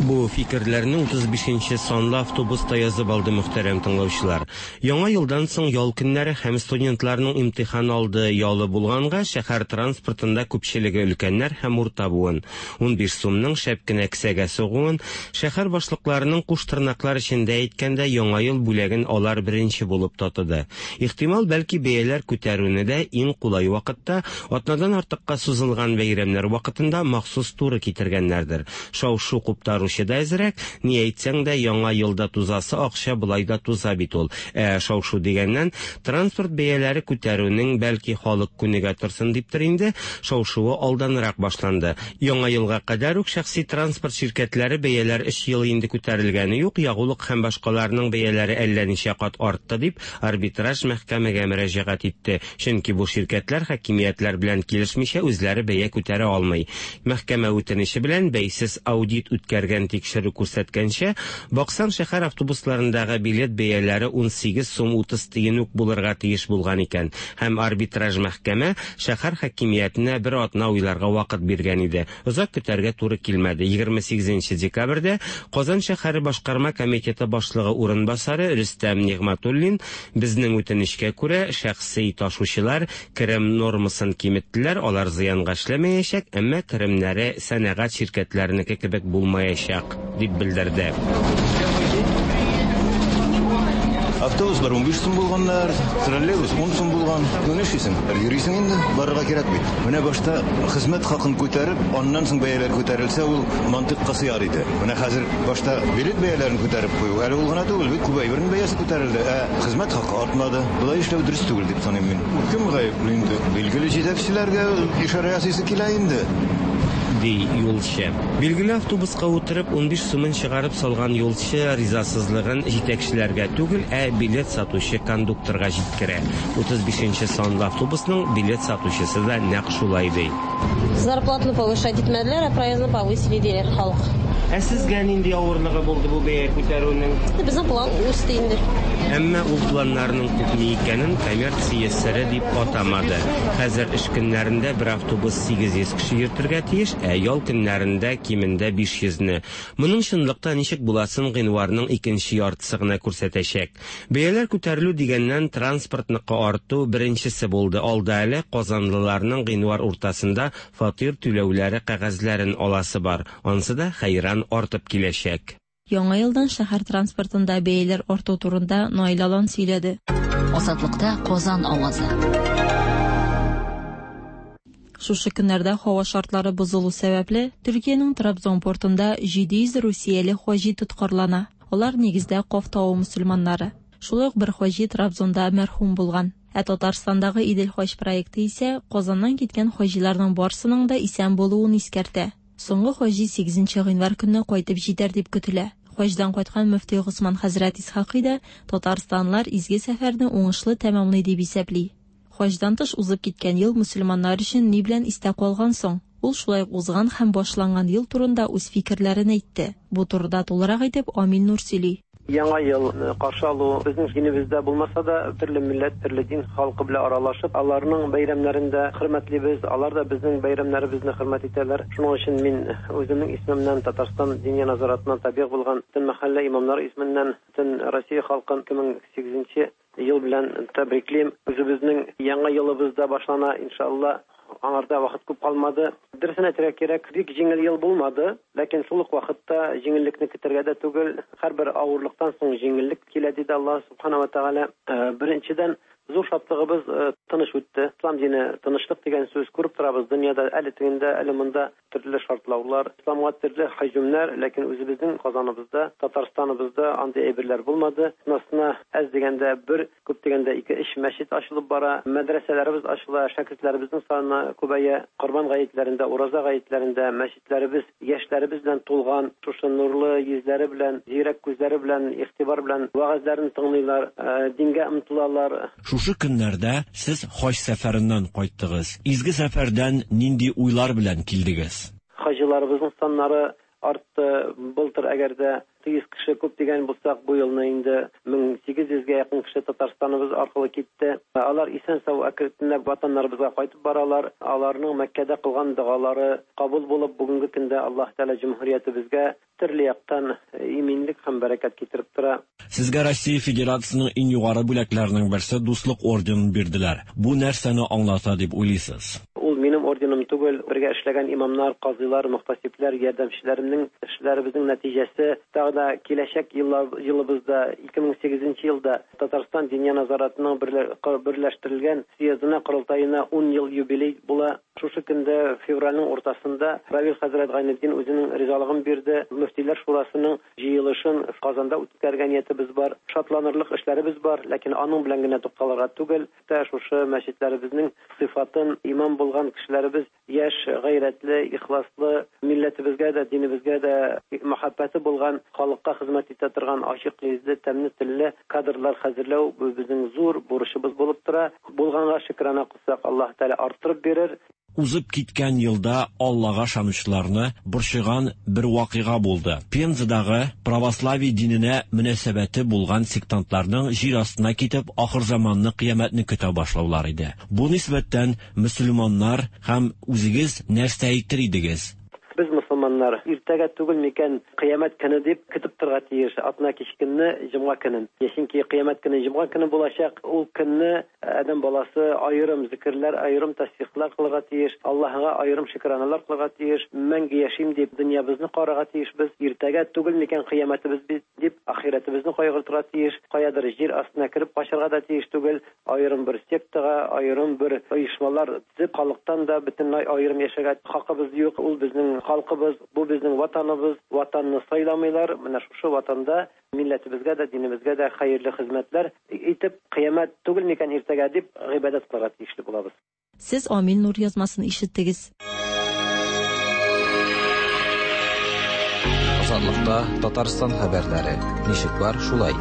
Бу фикерләрне 35 нче санлы автобуста язып алды мөхтәрәм тыңлаучылар. Яңа елдан соң ял көннәре һәм студентларның имтихан алды ялы булганга, шәһәр транспортында күпчелеге өлкәннәр һәм урта буын. 15 сумның шәп кенә кесәгә сугуын, шәһәр башлыкларының куш тырнаклар эчендә әйткәндә яңа ел бүләген алар беренче булып татыды. Ихтимал, бәлки бәяләр күтәрүне дә иң кулай вакытта, атнадан артыкка сузылган бәйрәмнәр вакытында махсус туры китергәннәрдер. Шау-шу куптаручы да әзрәк, ни әйтсәң дә, яңа елда тузасы акча болай да туза бит ул. Ә шау-шу дигәннән, транспорт бәяләре күтәрүнең, бәлки, халык күнегә торсын диптер инде, шау-шуы алданрак башланды. Яңа елга кадәр үк шәхси транспорт ширкәтләре бәяләр өч ел инде күтәрелгәне юк, ягулык һәм башкаларның бәяләре әллә ничә кат артты дип, арбитраж мәхкәмәгә мөрәҗәгать итте. Чөнки бу ширкәтләр хакимиятләр белән килешмичә үзләре бәя күтәрә алмый. Мәхкәмә үтенече белән бәйсез аудит үткәргән тикшерү күрсәткәнчә, баксаң, шәһәр автобусларындагы билет бәяләре 18 сум 30 тиен үк булырга тиеш булган икән. Һәм арбитраж мәхкәмә шәһәр хакимиятенә бер атна уйларга вакыт биргән иде. Озак көтәргә туры килмәде. 28 нче декабрьдә Казан шәһәре башкарма комитеты башлыгы урынбасары Рөстәм Нигъмәтуллин безнең үтенечкә күрә, шәхси ташучылар керем нормасын киметтеләр, алар зыянга эшләмәячәк, әмма керемнәре сәнәгать ширкәтләренеке кебек булмаячак, дип белдерде. Автобуслар 15 сум булганнар, троллейбус 10 сум булган. Ну нишлисең? Йөрисең инде, барырга кирәк бит. Менә башта хезмәт хакын күтәреп, аннан соң бәяләр күтәрелсә, ул мантыйкка сыяр иде. Менә хәзер башта билет бәяләрен күтәреп кую, әле ул гына түгел, бит күп әйбернең бәясе күтәрелде, ә хезмәт хакы артмады. Болай эшләү дөрес түгел дип саныйм мин. Кем гаепле инде? Билгеле җитәкчеләргә ишарә ясыйсы килә инде. Ди юлчы. Билгеле, автобуска утырып, 15 сумын чыгарып салган юлчы ризасызлыгын җитәкчеләргә түгел, ә билет сатучы кондукторга җиткерә. 35 нче санлы автобусның билет сатучысы да нәкъ шулай ди. Зарплатаны повышать итмәделәр, ә проездны повысили, диләр халык. Ә сезгә нинди авырлыгы булды бу бәя күтәрүнең? Безнең план үсте инде. Әмма ул планнарның күпме икәнен коммерция сере дип атамады. Хәзер эш көннәрендә бер автобус 800 кеше йөртергә тиеш, ә ял көннәрендә кимендә 500 не. Моның чынлыкта ничек буласын гыйнварның икенче яртысы гына күрсәтәчәк. Бәяләр күтәрелү дигәннән, транспортныкы арту беренчесе булды. Алда әле казанлыларның гыйнвар уртасында фатир түләүләре кәгазьләрен аласы бар. Ансы да хәйран артып киләчәк. Яңа елдан шәһәр транспортында бәяләр арту турында Наил Алан сөйләде. Азатлыкта Казан авазы. Шушы көннәрдә һава шартлары бозылу сәбәпле, Төркиянең Трабзон портында 700 русияле хаҗи тоткарлана. Алар нигездә Каф тавы мөселманнары. Шулай ук бер хаҗи Трабзонда мәрхүм булган. Ә Татарстандагы Идел хаҗ проекты исә Казаннан киткән хаҗиларның барсының да исән булуын искәртә. Соңгы хаҗи 8 гыйнвар көнне кайтып җитәр дип көтелә. Хаҗдан кайткан мөфти Госман хәзрәт Исхакый да татарстанлылар изге сәфәрне уңышлы тәмамлый дип исәпли. Хаҗдан тыш узып киткән ел мөселманнар өчен ни белән истә калган соң? Ул шулай ук узган һәм башланган ел турында үз фикерләрен әйтте. Бу турыда тулырак итеп Амил Нур сөйли. Яңа ел каршы алу безнең динебездә булмаса да, төрле милләт, төрле дин халкы белән аралашып, аларның бәйрәмнәрен дә хөрмәтлибез, алар да безнең бәйрәмнәребезне хөрмәт итәләр. Шуның өчен мин үземнең исемемнән Татарстан Диния нәзаратына табигъ булган бөтен мәхәллә имамнары исеменнән бөтен Россия халкын 2008 ел белән тәбриклим. Үзебезнең яңа елыбыз да башлана, иншалла. Аңарда вакыт күп калмады. Дөресен әйтергә кирәк, бик җиңел ел булмады, ләкин шул ук вакытта җиңеллекне көтәргә дә түгел. Һәрбер авырлыктан соң җиңеллек килә, диде Аллаһ Субхана ва Тәгалә. Беренчедән, зур шатлыгыбыз тыныч үтте. Ислам дине тынычлык дигән сүз күреп торабыз дөньяда, әле тегендә, әле монда төрле шартлаулар, исламга төрле һөҗүмнәр, ләкин үзебезнең Казаныбызда, Татарстаныбызда андый әйберләр булмады. Атнасына әз дигәндә бер, күп дигәндә ике-өч мәчет ачылып бара, мәдрәсәләребез ачыла, шәкертләребезнең саны күбәя. Корбан гаетләрендә, ураза гаетләрендә мәчетләребез яшьләребез белән тулган, шушы нурлы йөзләре белән, зирәк күзләре белән, игътибар белән вәгазьләрен тыңлыйлар, дингә омтылалар. Шушы көннәрдә сез хаҗ сәфәреннән кайттыгыз. Изге сәфәрдән нинди уйлар белән килдегез? Хаҗиларыбызның саннары артты. Былтыр әгәр дә 800 кеше күп дигән булсак, бу елны инде 1800 гә якын кеше Татарстаныбыз аркылы китте. Алар исән-сау әкренләп ватаннарыбызга кайтып баралар. Аларның Мәккәдә кылган догалары кабул булып, бүгенге көндә Аллаһ Тәгалә җөмһүриятебезгә төрле яктан иминлек һәм бәрәкәт китереп тора. Сезгә Россия Федерациясенең иң югары бүләкләренең берсе Дуслык орденын бирделәр. Бу нәрсәне аңлата дип уйлыйсыз? Ул минем орденым түгел, бергә эшләгән имамнар, казыйлар, мөхтәсибләр, ярдәмчеләремнең эшләребезнең нәтиҗәсе. Тагы да киләчәк еллар, елыбызда, 2008 нче елда Татарстан Диния нәзаратының берләштерелгән съездына, корылтаена ун ел юбилей була. Шушы көндә, февральнең уртасында, Равил хәзрәт Гайнетдин үзенең ризалыгын бирде. Мөфтиләр шурасының җыелышын Казанда үткәрергә ниятебез бар. Шатланырлык эшләребез бар, ләкин аның белән генә тукталырга түгел. Тә шушы мәчетләребезнең сыйфатын, имам булган кешеләребез яшь, гайрәтле, ихласлы, милләтебезгә дә, динебезгә дә мәхәббәте булган, халыкка хезмәт итә торган ачык йөзле, тәмле телле кадрлар хәзерләү бу безнең зур бурычыбыз булып тора. Булганга шөкрана кылсак, Аллаһ Тәгалә арттырып бирер. Узып киткән елда Аллага ышанучыларны борчыган бер вакыйга булды. Пензадагы православие диненә мөнәсәбәте булган сектантларның җир астына китеп ахырзаманны, кыямәтне көтә башлаулары иде. Бу нисбәттән мөселманнар һәм үзегез нәрсә әйтер идегез? Без, мосылманнар, иртәгә түгел микән кыямәт көне дип көтеп торырга тиеш, атна кич көнне, җомга көнен. Чөнки кыямәт көне җомга көне булачак. Ул көнне Адәм баласы аерым зикерләр, аерым тәсбихләр кылырга тиеш, Аллаһыга аерым шөкраналар кылырга тиеш, мәңге яшим дип, дөньябызны карарга тиешбез, иртәгә түгел микән кыямәтебез бит дип, ахирәтебезне кайгыртырга тиеш, каядыр җир астына кереп качарга да тиеш түгел, аерым бер сектага, аерым бер оешмалар төзеп, халыктан да бөтенләй аерым яшәргә хакыбыз юк, ул безнең халкыбыз, бу безнең Ватаныбыз, Ватанны сайламыйлар, менә шушы Ватанда Милләтебезгә дә, динебезгә дә хәерле хезмәтләр итеп, кыямәт түгел микән иртәгә дип гыйбадәт кылырга тиешле булабыз. Сез Амил Нур язмасын ишеттегез. Азатлыкта Татарстан хәбәрләре. Ничек бар, шулай.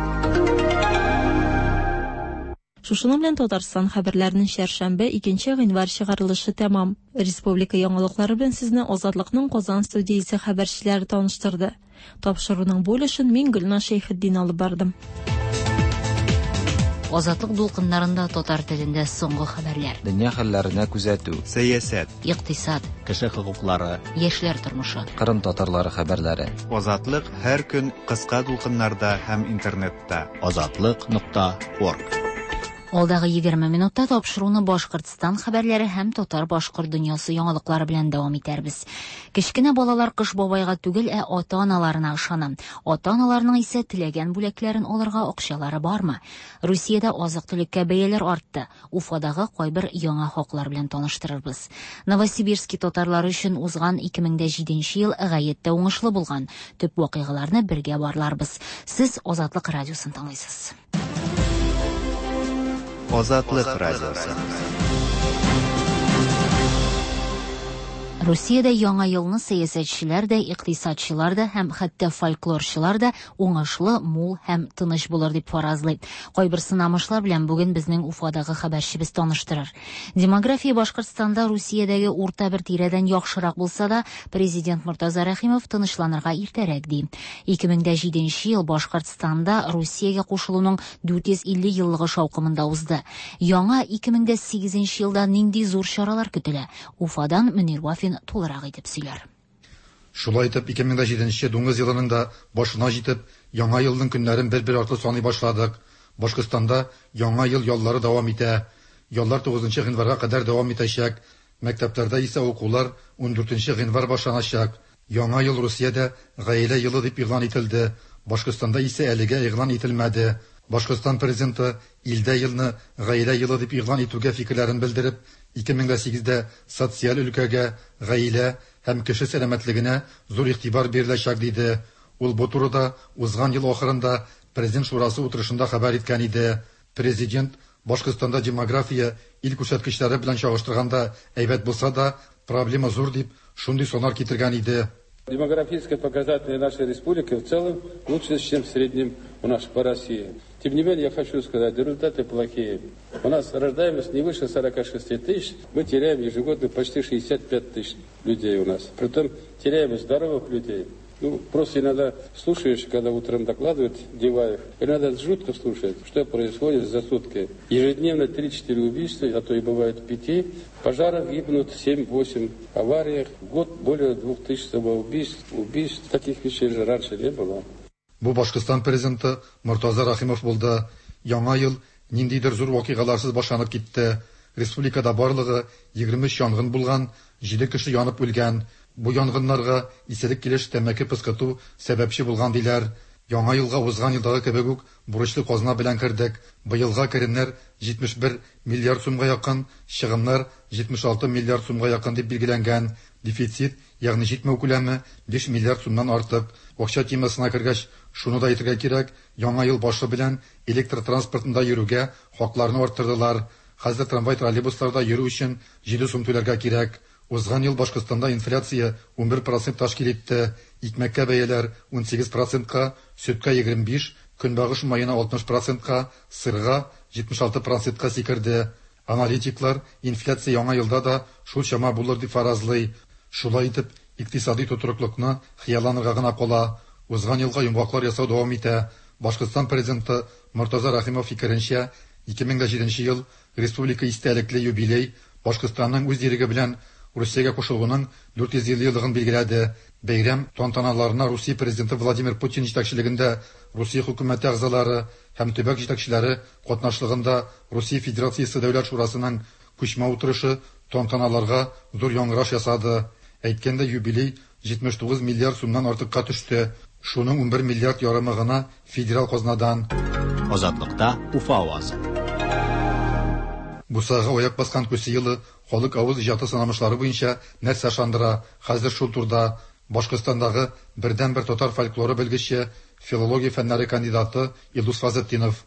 Шушының белән Татарстан хәбәрләренең чәршәмбе, 2 гыйнвар чыгарылышы тәмам. Республика яңалыклары белән сезне Азатлыкның Казан студиясе хәбәрчеләре таныштырды. Тапшыруның бу өлешен мин Гөлназ Шәйхетдин алып бардым. Азатлык дулкыннарында татар телендә соңгы хәбәрләр. Дөнья хәлләренә күзәтү. Сәясәт. Икътисад. Кеше хокуклары. Яшьләр тормышы. Кырым татарлары хәбәрләре. Азатлык һәр көн кыска дулкыннарда һәм интернетта. Азатлык нокта орг. Алдагы 20 минутта тапшыруны Башкортстан хәбәрләре һәм татар-башкорт дөньясы яңалыклары белән дәвам итәрбез. Кечкенә балалар Кыш бабайга түгел, ә ата-аналарына ышана. Ата-аналарның исә теләгән бүләкләрен алырга акчалары бармы? Русиядә азык-төлеккә бәяләр артты. Уфадагы кайбер яңа хаклар белән таныштырырбыз. Новосибирски татарлары өчен узган 2007 ел гаять тә уңышлы булган. Төп вакыйгаларны бергә барларбыз. Сез Азатлык радиосын тыңлыйсыз. Азатлык радиосы. Русиядә яңа елны сәясәтчеләр дә, икътисадчылар да һәм хәтта фольклорчылар да уңышлы, мул һәм тыныч булыр дип фаразлый. Кайбер сынамышлар белән бүген безнең Уфадагы хәбәрчебез таныштырыр. Демография Башкортстанда Русиядәге урта бер тирәдән яхшырак булса да, президент Мортаза Рәхимов тынычланырга иртәрәк ди. 2007 ел Башкортстанда Русиягә кушылуның 450 еллыгы шаукымында узды. Яңа 2008 елда нинди зур чаралар көтелә? Уфадан Мөнир Вафин тулырак итеп сөйләр. Шулай итеп, 2007 дуңгыз елының да башына җитеп, яңа елның көннәрен бер-бер артлы саный башладык. Башкортстанда яңа ел яллары дәвам итә. Яллар 9 гыйнварга кадәр дәвам итәчәк. Мәктәпләрдә исә укулар 14 гыйнвар башланачак. Яңа ел Русиядә гаилә елы дип игълан ителде. Башкортстанда исә әлегә игълан ителмәде. Башкортстан президенты илдә елны гаилә елы дип игълан итүгә фикерләрен белдереп, 2008-дә социаль өлкәгә, гаилә һәм кеше сәламәтлегенә зур игътибар биреләчәк диде. Ул бу турыда узган ел ахырында Президент шурасы утырышында хәбәр иткән иде. Президент Башкортстанда демография ил күрсәткечләре белән чагыштырганда әйбәт булса да, проблема зур дип шундый саннар китергән иде. Демографические показатели нашей республики в целом лучше, чем в среднем у нас по России. Тем не менее, я хочу сказать, результаты плохие. У нас рождаемость не выше 46 тысяч, мы теряем ежегодно почти 65 тысяч людей у нас. Притом теряем здоровых людей. Ну, просто иногда слушаешь, когда утром докладывает Диваев, иногда жутко слушать, что происходит за сутки. Ежедневно 3-4 убийства, а то и бывает 5. Пожаров гибнут 7-8, авариях. В год более 2000 самоубийств, убийств. Таких вещей же раньше не было. Бу Башкортстан президенты Мортаза Рахимов булды. Яңа ел ниндидер зур вакыйгаларсыз башланып китте. Республикада барлыгы 23 янгын булган, 7 кеше янып үлгән. Бу янгыннарга исерек килеш тәмәке пыскыту сәбәпче булган диләр. Яңа елга узган елдагы кебек үк бурычлы казна белән кердек. Быелга керемнәр 71 миллиард сумга якын, чыгымнар 76 миллиард сумга якын дип билгеләнгән. Дефицит, ягъни җитмәү күләме 5 миллиард сумнан артык. Акча темасына кергәч, шуны да әйтергә кирәк, яңа ел башы белән электр транспортында йөрүгә хакларны арттырдылар. Хәзер трамвай троллейбусларда йөрү өчен 7 сум түләргә кирәк. Узган ел Башкортстанда инфляция 11% тәшкил итте. Икмәккә бәяләр 18%-ка, сөткә 25, көнбагыш маена 60%-ка, сырга 76%-ка сикерде. Аналитиклар инфляция яңа елда да шул чама булыр дип фаразлый. Шулай итеп, икътисади тотрыклыкны хыялланырга гына кала. Узган елга йомгаклар ясау дәвам итә. Башкортстан президенты Мортаза Рахимов фикеренчә, 2007 ел республика истәлекле юбилей Башкортстанның үз иреге белән Русиягә кушылуының 450 еллыгын билгеләде. Бәйрәм тантаналарына Русия президенты Владимир Путин җитәкчелегендә Русия хөкүмәте әгъзалары һәм төбәк җитәкчеләре катнашлыгында Русия Федерациясе Дәүләт Шурасының күчмә утырышы тантаналарга зур яңгыраш ясады. Әйткәндә, юбилей 79 миллиард сумнан артыкка төште. Шуның 11 миллиард ярымы гына федераль казнадан. Азатлыкта Уфа авазы. Бусага аяк баскан күсе елы халык авыз иҗаты сынамышлары буенча нәрсә ышандыра? Хәзер шул турда Башкортстандагы бердәнбер татар фольклоры белгече, филология фәннәре кандидаты Илдус Фазлетдинов.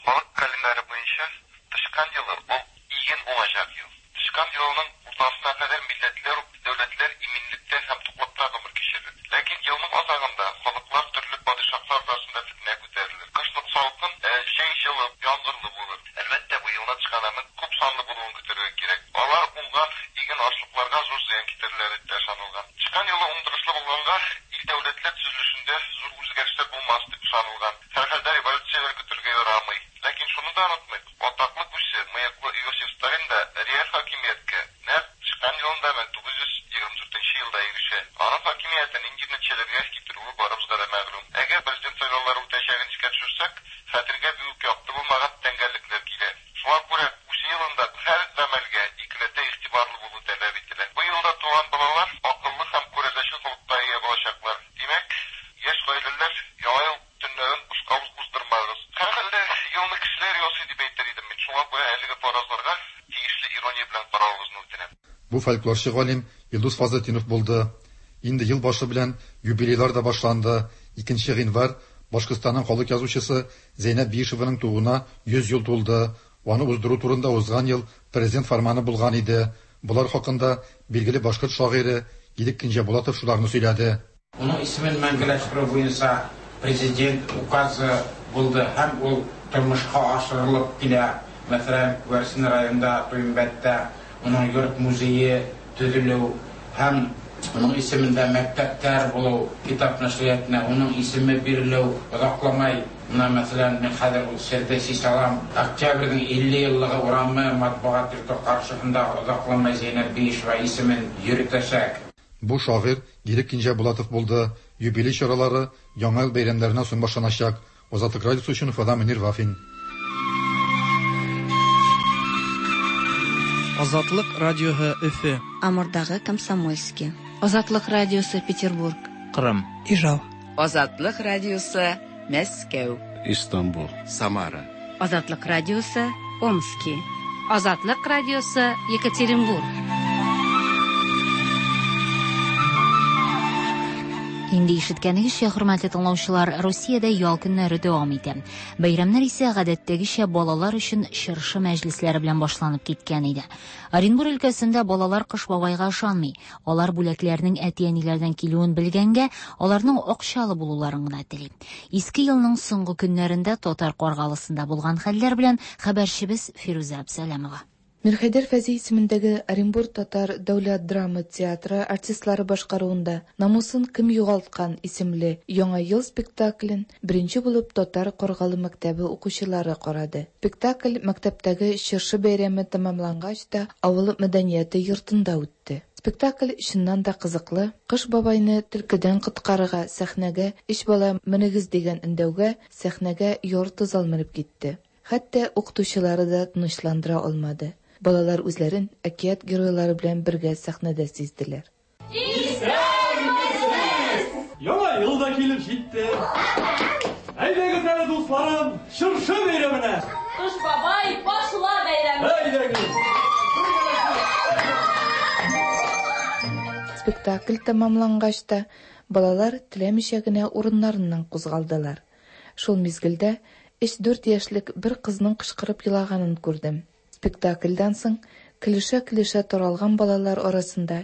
Халык календаре буенча тычкан елы ул иген уңачак ел. Тычкан елының уртасына кадәр милләтләр, дәүләтләр иминлектә һәм туклыкта гомер кичерер. Ләкин елның азагында халыклар төрле падишаһлар арасында фетнә күтәрелер. Кышлык салкын, җәй җылы, яңгырлы булыр. Әлбәттә, бу елны тычканнарның күп санлы булуын көтәргә кирәк. Алар уңган иген ашлыкларга зур зыян китерерләр дип тә ышанылган. Тычкан елы уңдырышлы булганга, ил дәүләтләр төзелешендә зур үзгәрешләр булмас дип ышанылган. Һәрхәлдә революцияләр көтәргә ярамый. Ләкин шуны да онытмыйк, атаклы күсе, мыеклы Иосиф Сталин да реаль хакимияткә нәкъ тычкан елында 1924 елда ирешә. Аның хакимияте нинди нәтиҗәләргә китерүе барыбызга да мәгълүм. Әгәр президент сайлаулары үтәчәген искә төшерсәк, хәтергә бик үк якты булмаган тәңгәллекләр килә. Кешеләр ясый дип әйтер идем мин. Шуңа күрә әлеге фаразларга тиешле ирония белән каравыгызны үтенәм. Бу фольклорчы галим Илдус Фазлетдинов булды. Инде ел башы белән юбилейлар да башланды. Икенче гыйнвар, Башкортстанның халык язучысы Зәйнәб Биишеваның тууына 100 ел тулды. Аны уздыру турында узган ел Президент фәрманы булган иде. Болар хакында билгеле башкорт шагыйре Ирек Кинҗәбулатов шуларны сөйләде. Уның исемен мәңгеләштерү буенча Президент указы булды һәм ул тормышка ашырылып килә. Мәсәлән, Күгәрчен районында, Туембәттә уның йорт-музее төзелү һәм уның исемендә мәктәпләр булу, китап нәшриятына уның исеме бирелү озакламай. Менә, мәсәлән, мин хәзер ул сердә чишә алам. Октябрьнең 50 еллыгы урамы матбугат йорты каршысында озакламай Зәйнәб Биишева исемен йөретәчәк. Бу шагыйрь Ирек Кинҗәбулатов булды. Юбилей чаралары Яңа ел бәйрәмнәреннән соң башланачак. Азатлык радиосы өчен Уфадан Мөнир Вафин. Азатлык радиоһы Өфе. Амурдагы Комсомольски. Азатлык радиосы Петербург. Кырым. Ижау. Азатлык радиосы Мәскәү. Истанбул. Самара. Азатлык радиосы Омски. Азатлык радиосы Екатеринбург. Инде ишеткәнегезчә, хөрмәтле тыңлаучылар, Русиядә ял көннәре дәвам итә. Бәйрәмнәр исә гадәттәгечә балалар өчен чыршы мәҗлесләре белән башланып киткән иде. Оренбур өлкәсендә балалар Кыш бабайга ышанмый. Алар бүләкләрнең әти-әниләрдән килүен белгәнгә, аларның акчалы булуларын гына тели. Иске елның соңгы көннәрендә Татар Каргалысында булган хәлләр белән хәбәрчебез Фирүзә Абсәләмова. Мирхәйдәр Фәйзи исемендәге Оренбур татар дәүләт драма театры артистлары башкаруында Намусын кем югалткан исемле Яңа ел спектаклен беренче булып Татар Каргалы мәктәбе укучылары карады. Спектакль мәктәптәге чыршы бәйрәме тәмамлангач та авыл мәдәнияте йортында үтте. Спектакль чыннан да кызыклы, Кыш бабайны төлкедән коткарырга сәхнәгә өч бала менегез дигән өндәүгә сәхнәгә ярты зал менеп китте. Хәтта укытучылары да тынычландыра алмады. Балалар үзләрен әкият геройлары белән бергә сәхнәдә сизделәр. Исәнмесез! Яңа ел да килеп җитте. Әйдәгез әле, дусларым, чыршы бәйрәменә! Кыш бабай, башла бәйрәмне! Әйдәгез! Спектакль тәмамлангач та, балалар теләмичә генә урыннарыннан кузгалдылар. Шул мизгелдә өч-дүрт яшьлек бер кызның кычкырып елаганын күрдем. Спектакльдән соң көлешә-көлешә таралган балалар арасында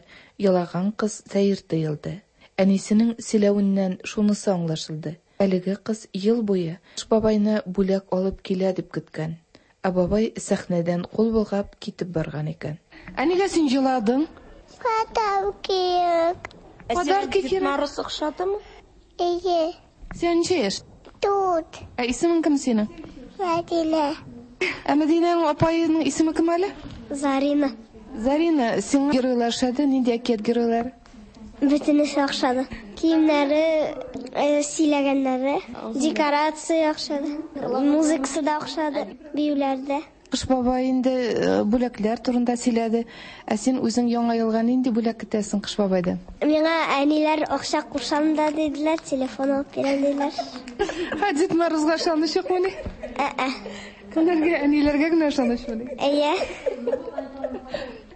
елаган кыз сәер тоелды. Әнисенең сөйләвеннән шунысы аңлашылды, әлеге кыз ел буе Кыш бабайны бүләк алып килә дип көткән, ә бабай сәхнәдән кул болгап китеп барган икән. Ә нигә син җыладың? Подарки кирәк. Подарки кирәк. Дед Мороз охшадымы? Әйе. Сиңа ничә яшь? Дүрт. Ә исемең кем синең? Мәдинә. Ә Мәдинәнең апаеның исеме кем әле? Зарина. Зарина, сиңа геройлар ошады? Нинди әкият геройлары? Бөтенесе охшады. Киемнәре, э, сөйләгәннәре, декорация охшады. Музыкасы да охшады, биюләр дә. Кыш бабай инде э, бүләкләр турында сөйләде. Ә син үзең Яңа елга нинди бүләк көтәсең Кыш бабайдан? Миңа әниләр акча кушам да диделәр, телефон алып бирәм диделәр. Ә Дед Морозга ышаныч юкмыни? Ә-ә. Кемнәргә? Әниләргә генә ышанычмыни? Әйе.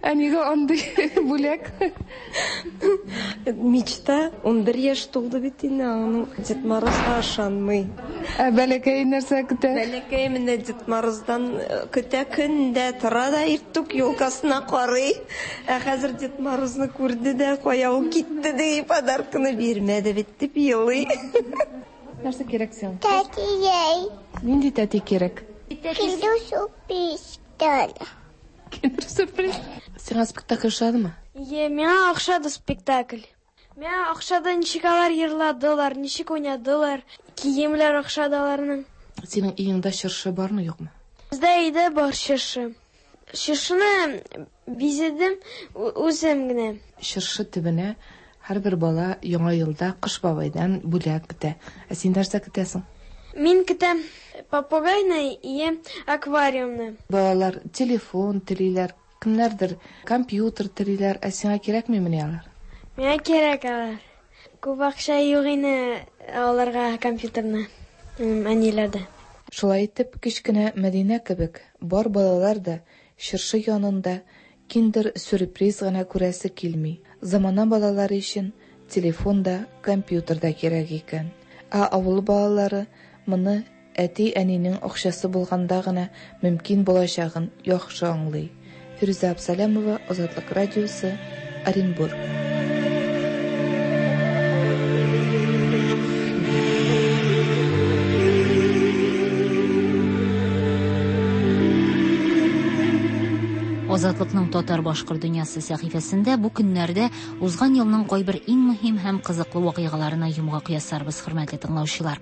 Ә нигә андый бүләк? Мечта, 11 яшь тулды бит инде, аның Дед Морозга ышанмый. Ә бәләкәй нәрсә көтә? Бәләкәй менә Дед Мороздан э, көтә көндә тора да иртүк елкасына карый. Ә хәзер Дед Морозны күрде дә, кая ул китте ди, подарканы бирмәде бит дип елый. Нәрсә кирәк сиңа? Тәтией. Нинди тәти кирәк? Киндер сюрприз. Киндер сюрприз. Сиңа спектакль ошадымы? Е, миңа охшады спектакль. Миңа охшады, ничек алар йырладылар, ничек уйнадылар, киемләр охшады аларның. Синең өеңдә чыршы бармы, юкмы? Бездә өйдә бар чыршы. Чыршыны бизәдем үзем генә. Чыршы төбенә һәрбер бала Яңа елда Кыш бабайдан бүләк көтә. Ә син нәрсә көтәсең? Мин көтәм попугайны и аквариумны. Балалар телефон телиләр, кемнәрдер компьютер телиләр, ә сиңа кирәкмимени алар? Миңа кирәк алар. Күп акча юк ине алырга компьютерны. Әниләрдә. Шулай итеп, кечкенә Мәдинә кебек, бар балалар да чыршы янында киндер-сюрприз гына күрәсе килми. Замана балалары өчен телефон да, компьютер да кирәк икән. Ә авыл балалары моны әти-әнинең акчасы булганда гына мөмкин булачагын яхшы аңлый. Фирүзә Абсалямова, Азатлык радиосы, Оренбург. Азатлыкның татар-башкорт дөньясы сәхифәсендә бу көннәрдә узган елның кайбер иң мөһим һәм кызыклы вакыйгаларына йомгак ясарбыз, хөрмәтле тыңлаучылар.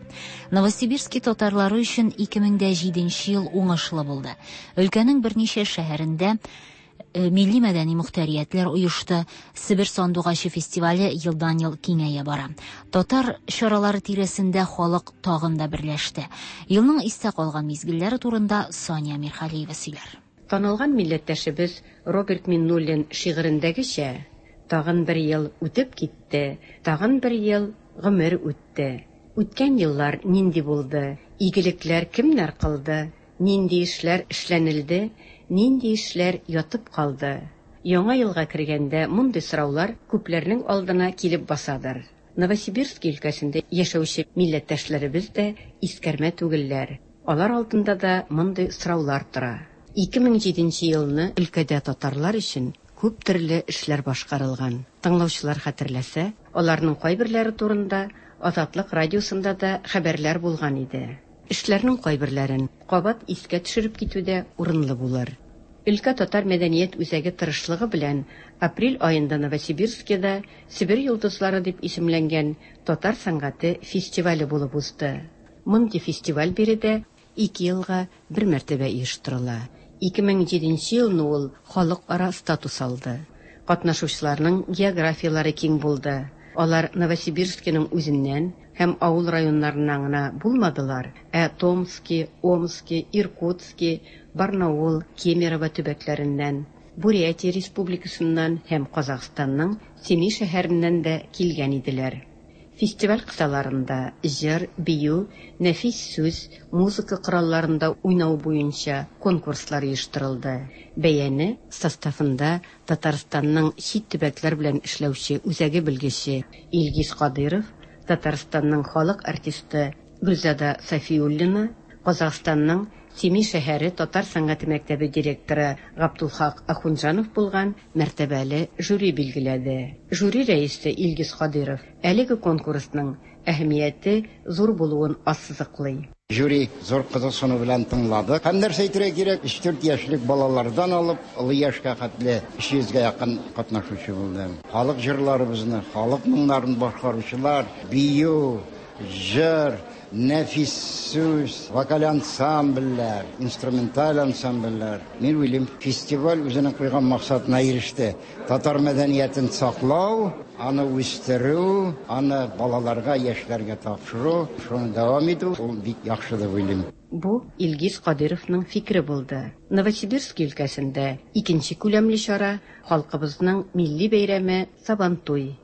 Новосибирски татарлары өчен 2007 ел уңышлы булды. Өлкәнең берничә шәһәрендә э, милли мәдәни мөхтәриятләр оешты. Себер сандугачы фестивале елдан-ел киңәя бара. Татар чаралары тирәсендә халык тагын да берләште. Елның истә калган мизгелләре турында Сания Мирхалиева сөйләр. Танылган милләттәшебез Роберт Миннуллин шигырендәгечә, тагын бер ел үтеп китте, тагын бер ел гомер үтте. Үткән еллар нинди булды, игелекләр кемнәр кылды, нинди эшләр эшләнелде, нинди эшләр ятып калды? Яңа елга кергәндә мондый сораулар күпләрнең алдына килеп басадыр. Новосибирски өлкәсендә яшәүче милләттәшләребез дә искәрмә түгелләр. Алар алдында да мондый сораулар тора. 2007 елны өлкәдә татарлар өчен күп төрле эшләр башкарылган. Тыңлаучылар хәтерләсә, аларның кайберләре турында Азатлык радиосында да хәбәрләр булган иде. Эшләрнең кайберләрен кабат искә төшереп китү дә урынлы булыр. Өлкә татар мәдәният үзәге тырышлыгы белән апрель аенда Новосибирскида Себер йолдызлары дип исемләнгән татар сәнгате фестивале булып узды. Мондый фестиваль биредә ике елга бер мәртәбә оештырыла. 2007 елны ул халыкара статус алды. Катнашучыларның географияләре киң булды. Алар Новосибирскиның үзеннән һәм авыл районнарыннан гына булмадылар, ә Томски, Омски, Иркутски, Барнаул, Кемерово төбәкләреннән, Бурятия Республикасыннан һәм Казахстанның Семей шәһәреннән дә килгән иделәр. Фестиваль кысаларында җыр, бию, нәфис сүз, музыка коралларында уйнау буенча конкурслар оештырылды. Бәяне составында Татарстанның чит төбәкләр белән эшләүче үзәге белгече Илгиз Кадыйров, Татарстанның халык артисты Гөлзада Сафиуллина, Казахстанның Семей шәһәре татар сәнгате мәктәбе директоры Габдулхак Ахунҗанов булган мәртәбәле жюри билгеләде. Жюри рәисе Илгиз Кадыйров әлеге конкурсның әһәмияте зур булуын ассызыклый. Жюри зур кызыксыну белән тыңлады. Һәм нәрсә әйтергә кирәк, өч-дүрт яшьлек балалардан алып, олы яшькә хәтле 300 гә якын катнашучы булды. Халык җырларыбызны, халык моңнарын башкаручылар, бию, җыр, нәфис сүз, вокаль ансамбльләр, инструменталь ансамбльләр. Мин уйлыйм, фестиваль үзенең куйган максатына иреште. Татар мәдәниятен саклау, аны үстерү, аны балаларга, яшьләргә тапшыру, шуны дәвам итү, ул бик яхшы дип уйлыйм. Бу Илгиз Кадыйровның фикере булды. Новосибирски өлкәсендә икенче күләмле чара, халкыбызның милли бәйрәме Сабантуй.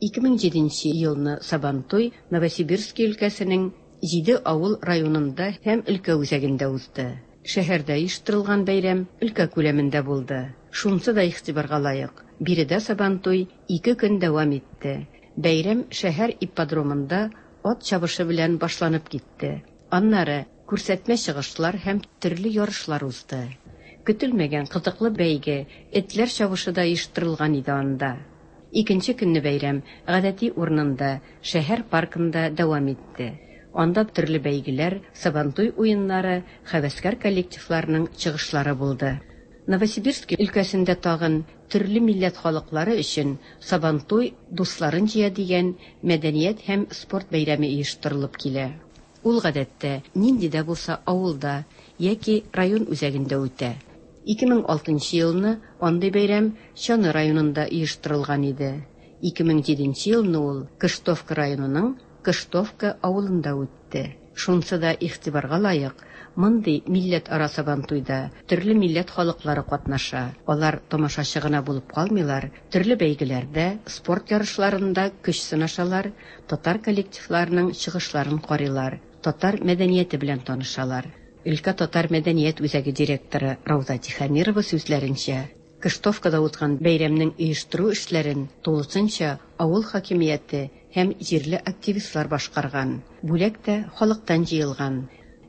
2007 елны Сабантуй Новосибирски өлкәсенең җиде авыл районында һәм өлкә үзәгендә узды. Шәһәрдә оештырылган бәйрәм өлкә күләмендә булды. Шунсы да игътибарга лаек, биредә Сабантуй ике көн дәвам итте. Бәйрәм шәһәр ипподромында ат чабышы белән башланып китте. Аннары күрсәтмә чыгышлар һәм төрле ярышлар узды. Көтелмәгән кызыклы бәйге, этләр чабышы да оештырылган иде анда. Икенче көнне бәйрәм гадәти урынында, шәһәр паркында дәвам итте. Анда төрле бәйгеләр, Сабантуй уеннары, һәвәскәр коллективларның чыгышлары булды. Новосибирски өлкәсендә тагын төрле милләт халыклары өчен Сабантуй дусларын җыя дигән мәдәният һәм спорт бәйрәме оештырылып килә. Ул гадәттә нинди дә булса авылда яки район үзәгендә үтә. 2006 елны андый бәйрәм Чаны районында оештырылган иде. 2007 елны ул Кыштовка районының Кыштовка авылында үтте. Шунсы да игътибарга лаек, мондый милләтара Сабантуйда төрле милләт халыклары катнаша. Алар тамашачы гына булып калмыйлар, төрле бәйгеләрдә, спорт ярышларында көч сынашалар, татар коллективларының чыгышларын карыйлар. татар мәдәнияте белән танышалар. Өлкә татар мәдәният үзәге директоры Рауза Тихомирова сүзләренчә, Кыштовкада узган бәйрәмнең оештыру эшләрен тулысынча авыл хакимияте һәм җирле активистлар башкарган. Бүләк тә халыктан җыелган.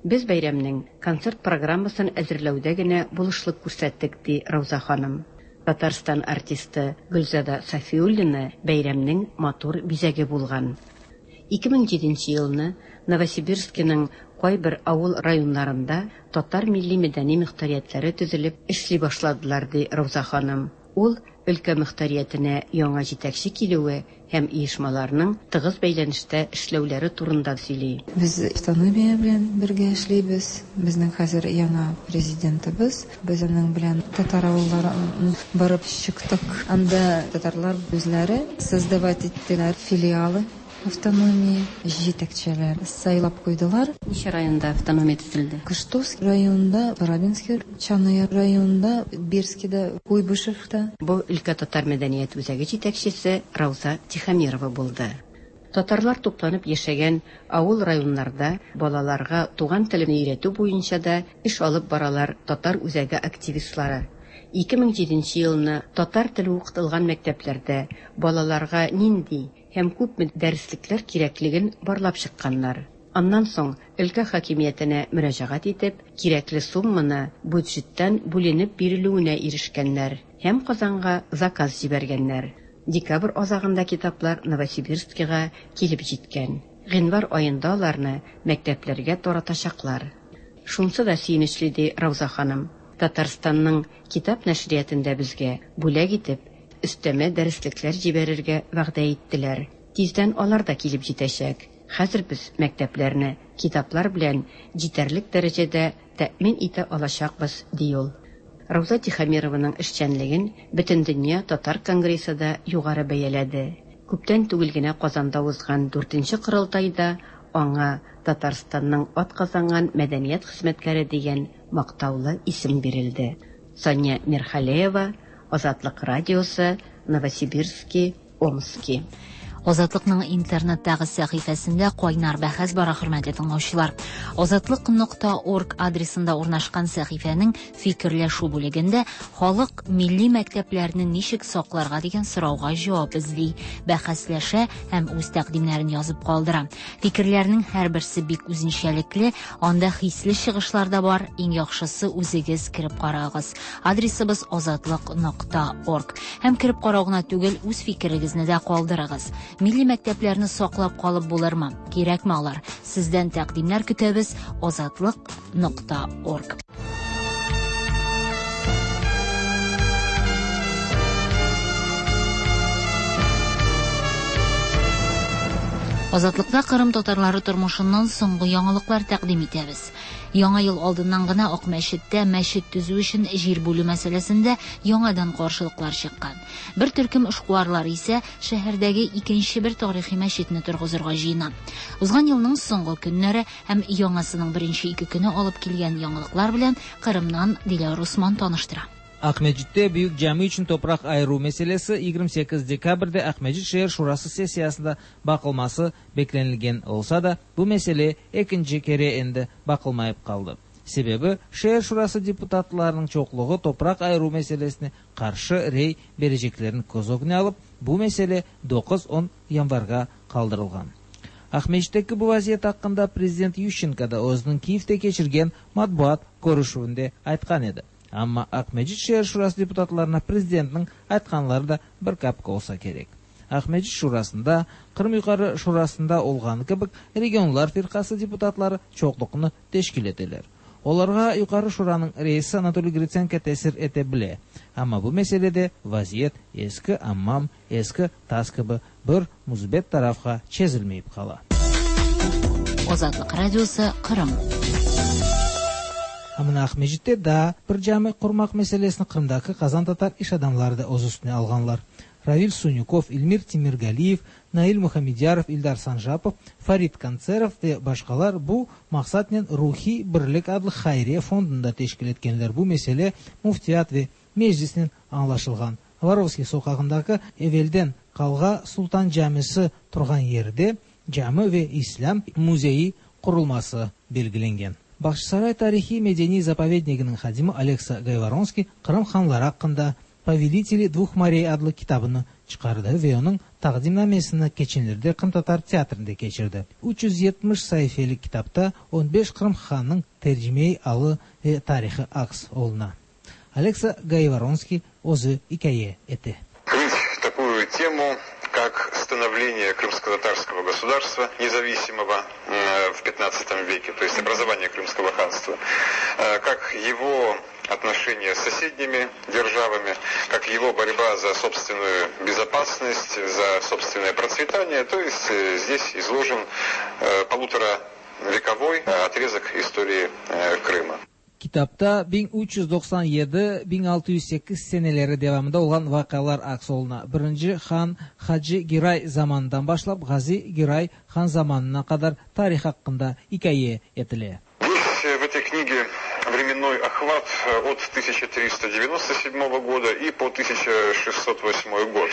Без бәйрәмнең концерт программасын әзерләүдә генә булышлык күрсәттек, ди Рауза ханым. Татарстан артисты Гөлзада Сафиуллина бәйрәмнең матур бизәге булган. 2007 нче елны Новосибирскиның кайбер авыл районнарында татар милли-мәдәни мөхтәриятләре төзелеп эшли башладылар, ди Рауза ханым. Ул өлкә мөхтәриятенә яңа җитәкче килүе һәм оешмаларның тыгыз бәйләнештә эшләүләре турында сөйли. Без автономия белән бергә эшлибез. Безнең хәзер яңа президентыбыз. Без аның белән татар авылларын барып чыктык. Анда татарлар үзләре создавать иттеләр филиалы автономии, җитәкчеләр сайлап куйдылар. Ничә районда автономия төзелде? Кыштовский районында, Барабинский, Чаны районында, Бирскида, Куйбышевта. Бу өлкә татар мәдәният үзәге җитәкчесе Рауза Тихомирова булды. Татарлар тупланып яшәгән авыл-районнарда балаларга туган телне өйрәтү буенча да эш алып баралар татар үзәге активистлары. 2007 нче елны татар теле укытылган мәктәпләрдә балаларга нинди һәм күпме дәреслекләр кирәклеген барлап чыкканнар. Аннан соң өлкә хакимиятенә мөрәҗәгать итеп, кирәкле сумманы бюджеттан бүленеп бирелүенә ирешкәннәр һәм Казанга заказ җибәргәннәр. Декабрь азагында китаплар Новосибирскига килеп җиткән. Гыйнвар аенда аларны мәктәпләргә таратачаклар. Шунсы да сөенечле, ди Рауза ханым, Татарстанның китап нәшриятында безгә бүләк итеп өстәмә дәреслекләр җибәрергә вәгъдә иттеләр. Тиздән алар да килеп җитәчәк. Хәзер без мәктәпләрне китаплар белән җитәрлек дәрәҗәдә тәэмин итә алачакбыз, ди ул. Рауза Тихомированың эшчәнлеген Бөтендөнья татар конгрессы да югары бәяләде. Күптән түгел генә Казанда узган дүртенче корылтайда аңа Татарстанның атказанган мәдәният хезмәткәре дигән мактаулы исем бирелде. Сания Мирхалеева, Азатлык радиосы, Новосибирски, Омски. Азатлыкның интернеттагы сәхифәсендә кайнар бәхәс бара, хөрмәтле тыңлаучылар. Азатлык нокта орг адресында урнашкан сәхифәнең фикерләшү бүлегендә халык милли мәктәпләрне ничек сакларга дигән сорауга җавап эзли, бәхәсләшә һәм үз тәкъдимнәрен язып калдыра. Фикерләрнең һәрберсе бик үзенчәлекле, анда хисле чыгышлар да бар, иң яхшысы үзегез кереп карагыз. Адресыбыз азатлык нокта орг. Һәм кереп карау гына түгел, үз фикерегезне дә калдырыгыз. Милли мәктәпләрне саклап калып булырмы? Кирәкме алар? Сездән тәкъдимнәр көтәбез. Азатлык нокта орг. Азатлыкта Кырым татарлары тормышыннан соңгы яңалыклар тәкъдим итәбез. Яңа ел алдыннан гына Акмәчеттә мәчет төзү өчен җир бүлү мәсьәләсендә яңадан каршылыклар чыккан. Бер төркем эшкуарлар исә шәһәрдәге икенче бер тарихи мәчетне торгызырга җыена. Узган елның соңгы көннәре һәм яңасының беренче ике көне алып килгән яңалыклар белән Кырымнан Диләр Усман таныштыра. Акмеджитте Büyük Cami içün topraq ayıruv meselesi 28 dekabrde Aqmescit şeer şurası sessiyasında baqılması beklenilgen olsa da, bu mesele ekinci kere endi baqılmayıp qaldı. Sebebi, şeer şurası deputatlarınıñ çoqluğı topraq ayıruv meselesine qarşı rey bereceklerini köz ögüne alıp, bu mesele doquz-on yanvarğa qaldırılğan. Aqmescitteki bu vaziyet aqqında prezident Yuşçenko da özüniñ Kiyevde keçirgen matbuat körüşüvinde aytqan edi. Amma Aqmescit şeer şurası deputatlarına prezidentniñ aytqanları da bir kapik olsa kerek. Aqmescit şurasında, Qırım Yuqarı Şurasında olğanı kibi, Regionlar firqası deputatları çoqluqnı teşkil eteler. Olarğa Yuqarı Şuranıñ reisi Anatoliy Gritsenko tesir ete bile. Amma bu meselede vaziyet eski ammam, eski tas kibi bir müsbet tarafqa çezilmeyip qala. Azatlıq Radiosı, Qırım. A mına Aqmescitte daa bir cami qurmaq meselesini Qırımdaki qazantatar iş adamları da öz üstüne alğanlar. Ravil Sunükov, İlmir Temirgaliyev, Nail Muhammedyarov, İldar Sanjapov, Farid Kontserov ve başqalar bu maqsatnen Ruhiy birlik adlı hayriye fondunı da teşkil etkenler. Bu mesele Müftiyat ve Meclisnen añlaşılğan. Vorovskiy soqağındaki evelden Qalğa Sultan camisi turğan yerde cami ve İslâm müzeyi qurulması belgilengen. Bağçasaray tarihiy-medeniy zapovedniginiñ hadimi Oleksa Gayvoronskiy Qırım hanları aqqında Poveliteli dvuh morey adlı kitabını çıqardı ve onıñ taqdimnamesini keçenlerde Qırımtatar teatrinde keçirdi. 370 saifelik kitapta on beş Qırım hannıñ tercimeiy alı ve tarihı aks oluna. Oleksa Gayvoronskiy özü ikâye ete. Открыть такую тему, как становление крымско-татарского государства, независимого в 15 веке, то есть образование Крымского ханства, как его отношения с соседними державами, как его борьба за собственную безопасность, за собственное процветание. То есть здесь изложен полуторавековой отрезок истории Крыма. Kitapta 1397-1608 seneleri devamında olğan vaqialar aks oluna. Birinci han Hacı Giray zamanından başlap Ğazi Giray han zamanına qadar tarih aqqında ikâye etile. Здесь в этой книге временной охват от 1397 года и по 1608 год.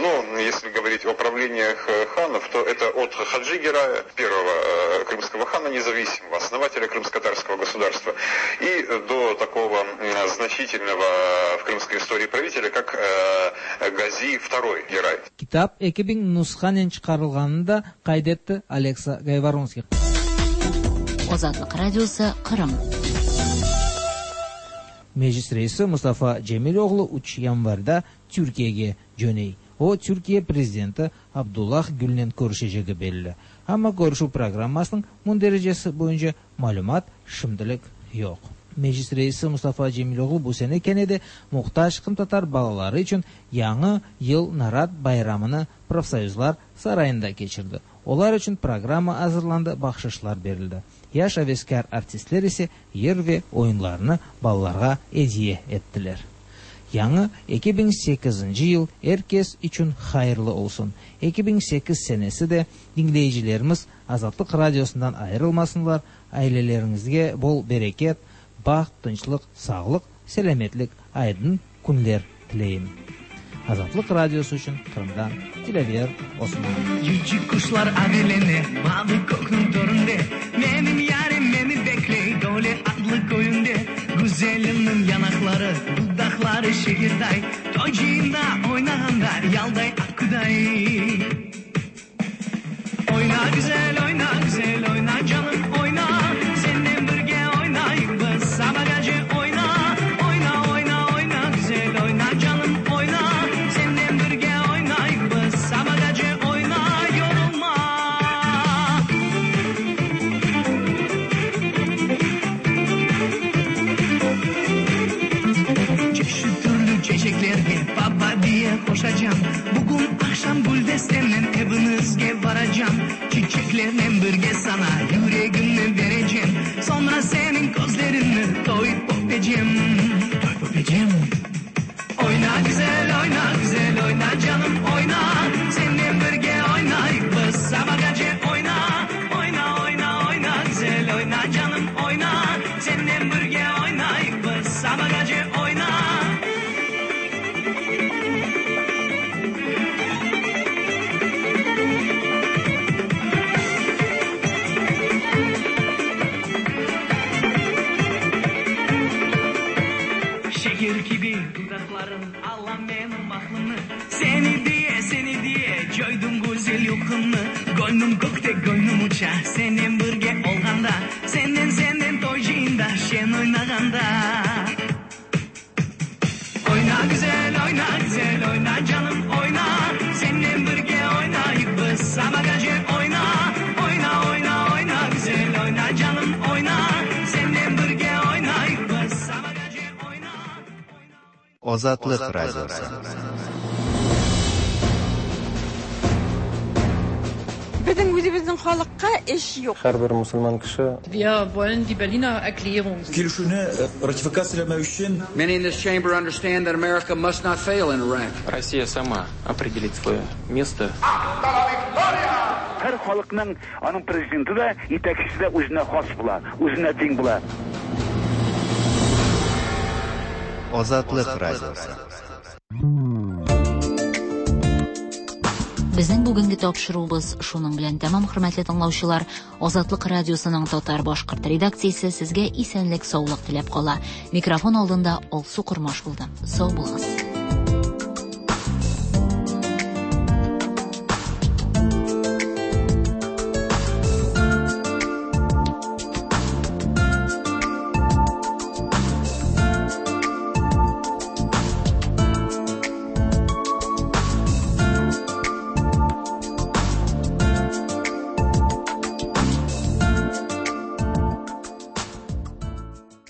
Но если говорить о правлениях ханов, то это от Хаджи Герая, первого крымского хана независимого, основателя крымско-татарского государства, и до такого значительного в крымской истории правителя, как Гази II Герай. Kitap 2000 nushanen çıqarılğanını da qayd etti Oleksa Gayvoronskiy. Azatlıq Radiosı, Qırım. Meclis reisi Mustafa Cemiloğlu üç yanvarda Türkiyege cöney. O, Türkiye prezidenti Abdullah Gülnen körüşecegi belli. Amma körüşüv programmasınıñ mündericesi boyunca malümat şimdilik yoq. Meclis reisi Mustafa Cemiloğlu bu sene kene de muhtac qırımtatar balaları içün Yañı yıl narat bayramını Profsoyuzlar sarayında keçirdi. Olar içün programma azırlandı, bahşışlar berildi. Yaş aveskâr artistler ise yır ve oyunlarını balalarğa ediye ettiler. Yañı 2008-nci yıl er kes içün hayırlı olsun. 2008 senesi de diñleyicilerimiz Azatlıq Radiosından ayırılmasınlar, aileleriñizge bol bereket, baht, tınçlıq, sağlıq, selâmetlik, aydın künler tileyim. Azatlıq Radiosı içün Qırımdan Dilâver Osmanov. Civciv quşlar avelene mavı kökniñ töründe, Menim yarim meni bekley Döle adlı köyünde. Güzelimniñ yanaqları, dudaqları şekerday, Toy cıyında oynağanda yalday aqquday. Oyna güzel, oyna güzel, oyna canım, oyna, Senen birge oynayıq biz sabagace, oyna, Oyna, oyna, oyna güzel, oyna canım, oyna, Senen birge oynayıq biz sabagace, oyna, yorulma. Çeşit türlü çeçeklerge baba diye qoşacam, Bugün aqşam güldestemnen eviñizge varacam, Çiçeklernen birge sana yüregimni berecem, Soñra seniñ közleriñni toyıp öpecem, toyıp öpecem. Oyna güzel, oyna güzel, oyna canım, oyna, Senen birge oynayıq biz sabagace, oyna, Oyna, oyna, oyna güzel, oyna canım, oyna, Senen birge oynayıq biz sabagace, oyna. Şeker kibi dudaqlarıñ ala menim aqlımnı, Seni diye, seni diye coydım güzel yuqumnı. Gönlüm kökte, gönlüm uça senen birge olğanda, Senden, senden toy cıyında şen oynağanda. Oyna güzel, oyna güzel, oyna canım, oyna, Senen birge oynayıq biz sabagace, oyna, Oyna, oyna, oyna güzel, oyna canım, oyna, Senen birge oynayıq biz sabagace, oyna. Azatlıq Radiosı. Безнең үзебезнең халыкка эш юк. Һәрбер мусульман кеше Wir wollen die Berliner Erklärung. Килешүне ратификацияләмәү өчен Many in this chamber understand that America must not fail in Iraq. Россия сама определит свое место. Һәр халыкның аның президенты да, итәкчесе дә үзенә хас була, үзенә тиң була. Азатлык Радиосы. Безнең бүгенге тапшыруыбыз шуның белән тәмам, хөрмәтле тыңлаучылар. Азатлык радиосының татар-башкорт редакциясе сезгә исәнлек-саулык теләп кала. Микрофон алдында Алсу Кормаш булды. Сау булыгыз.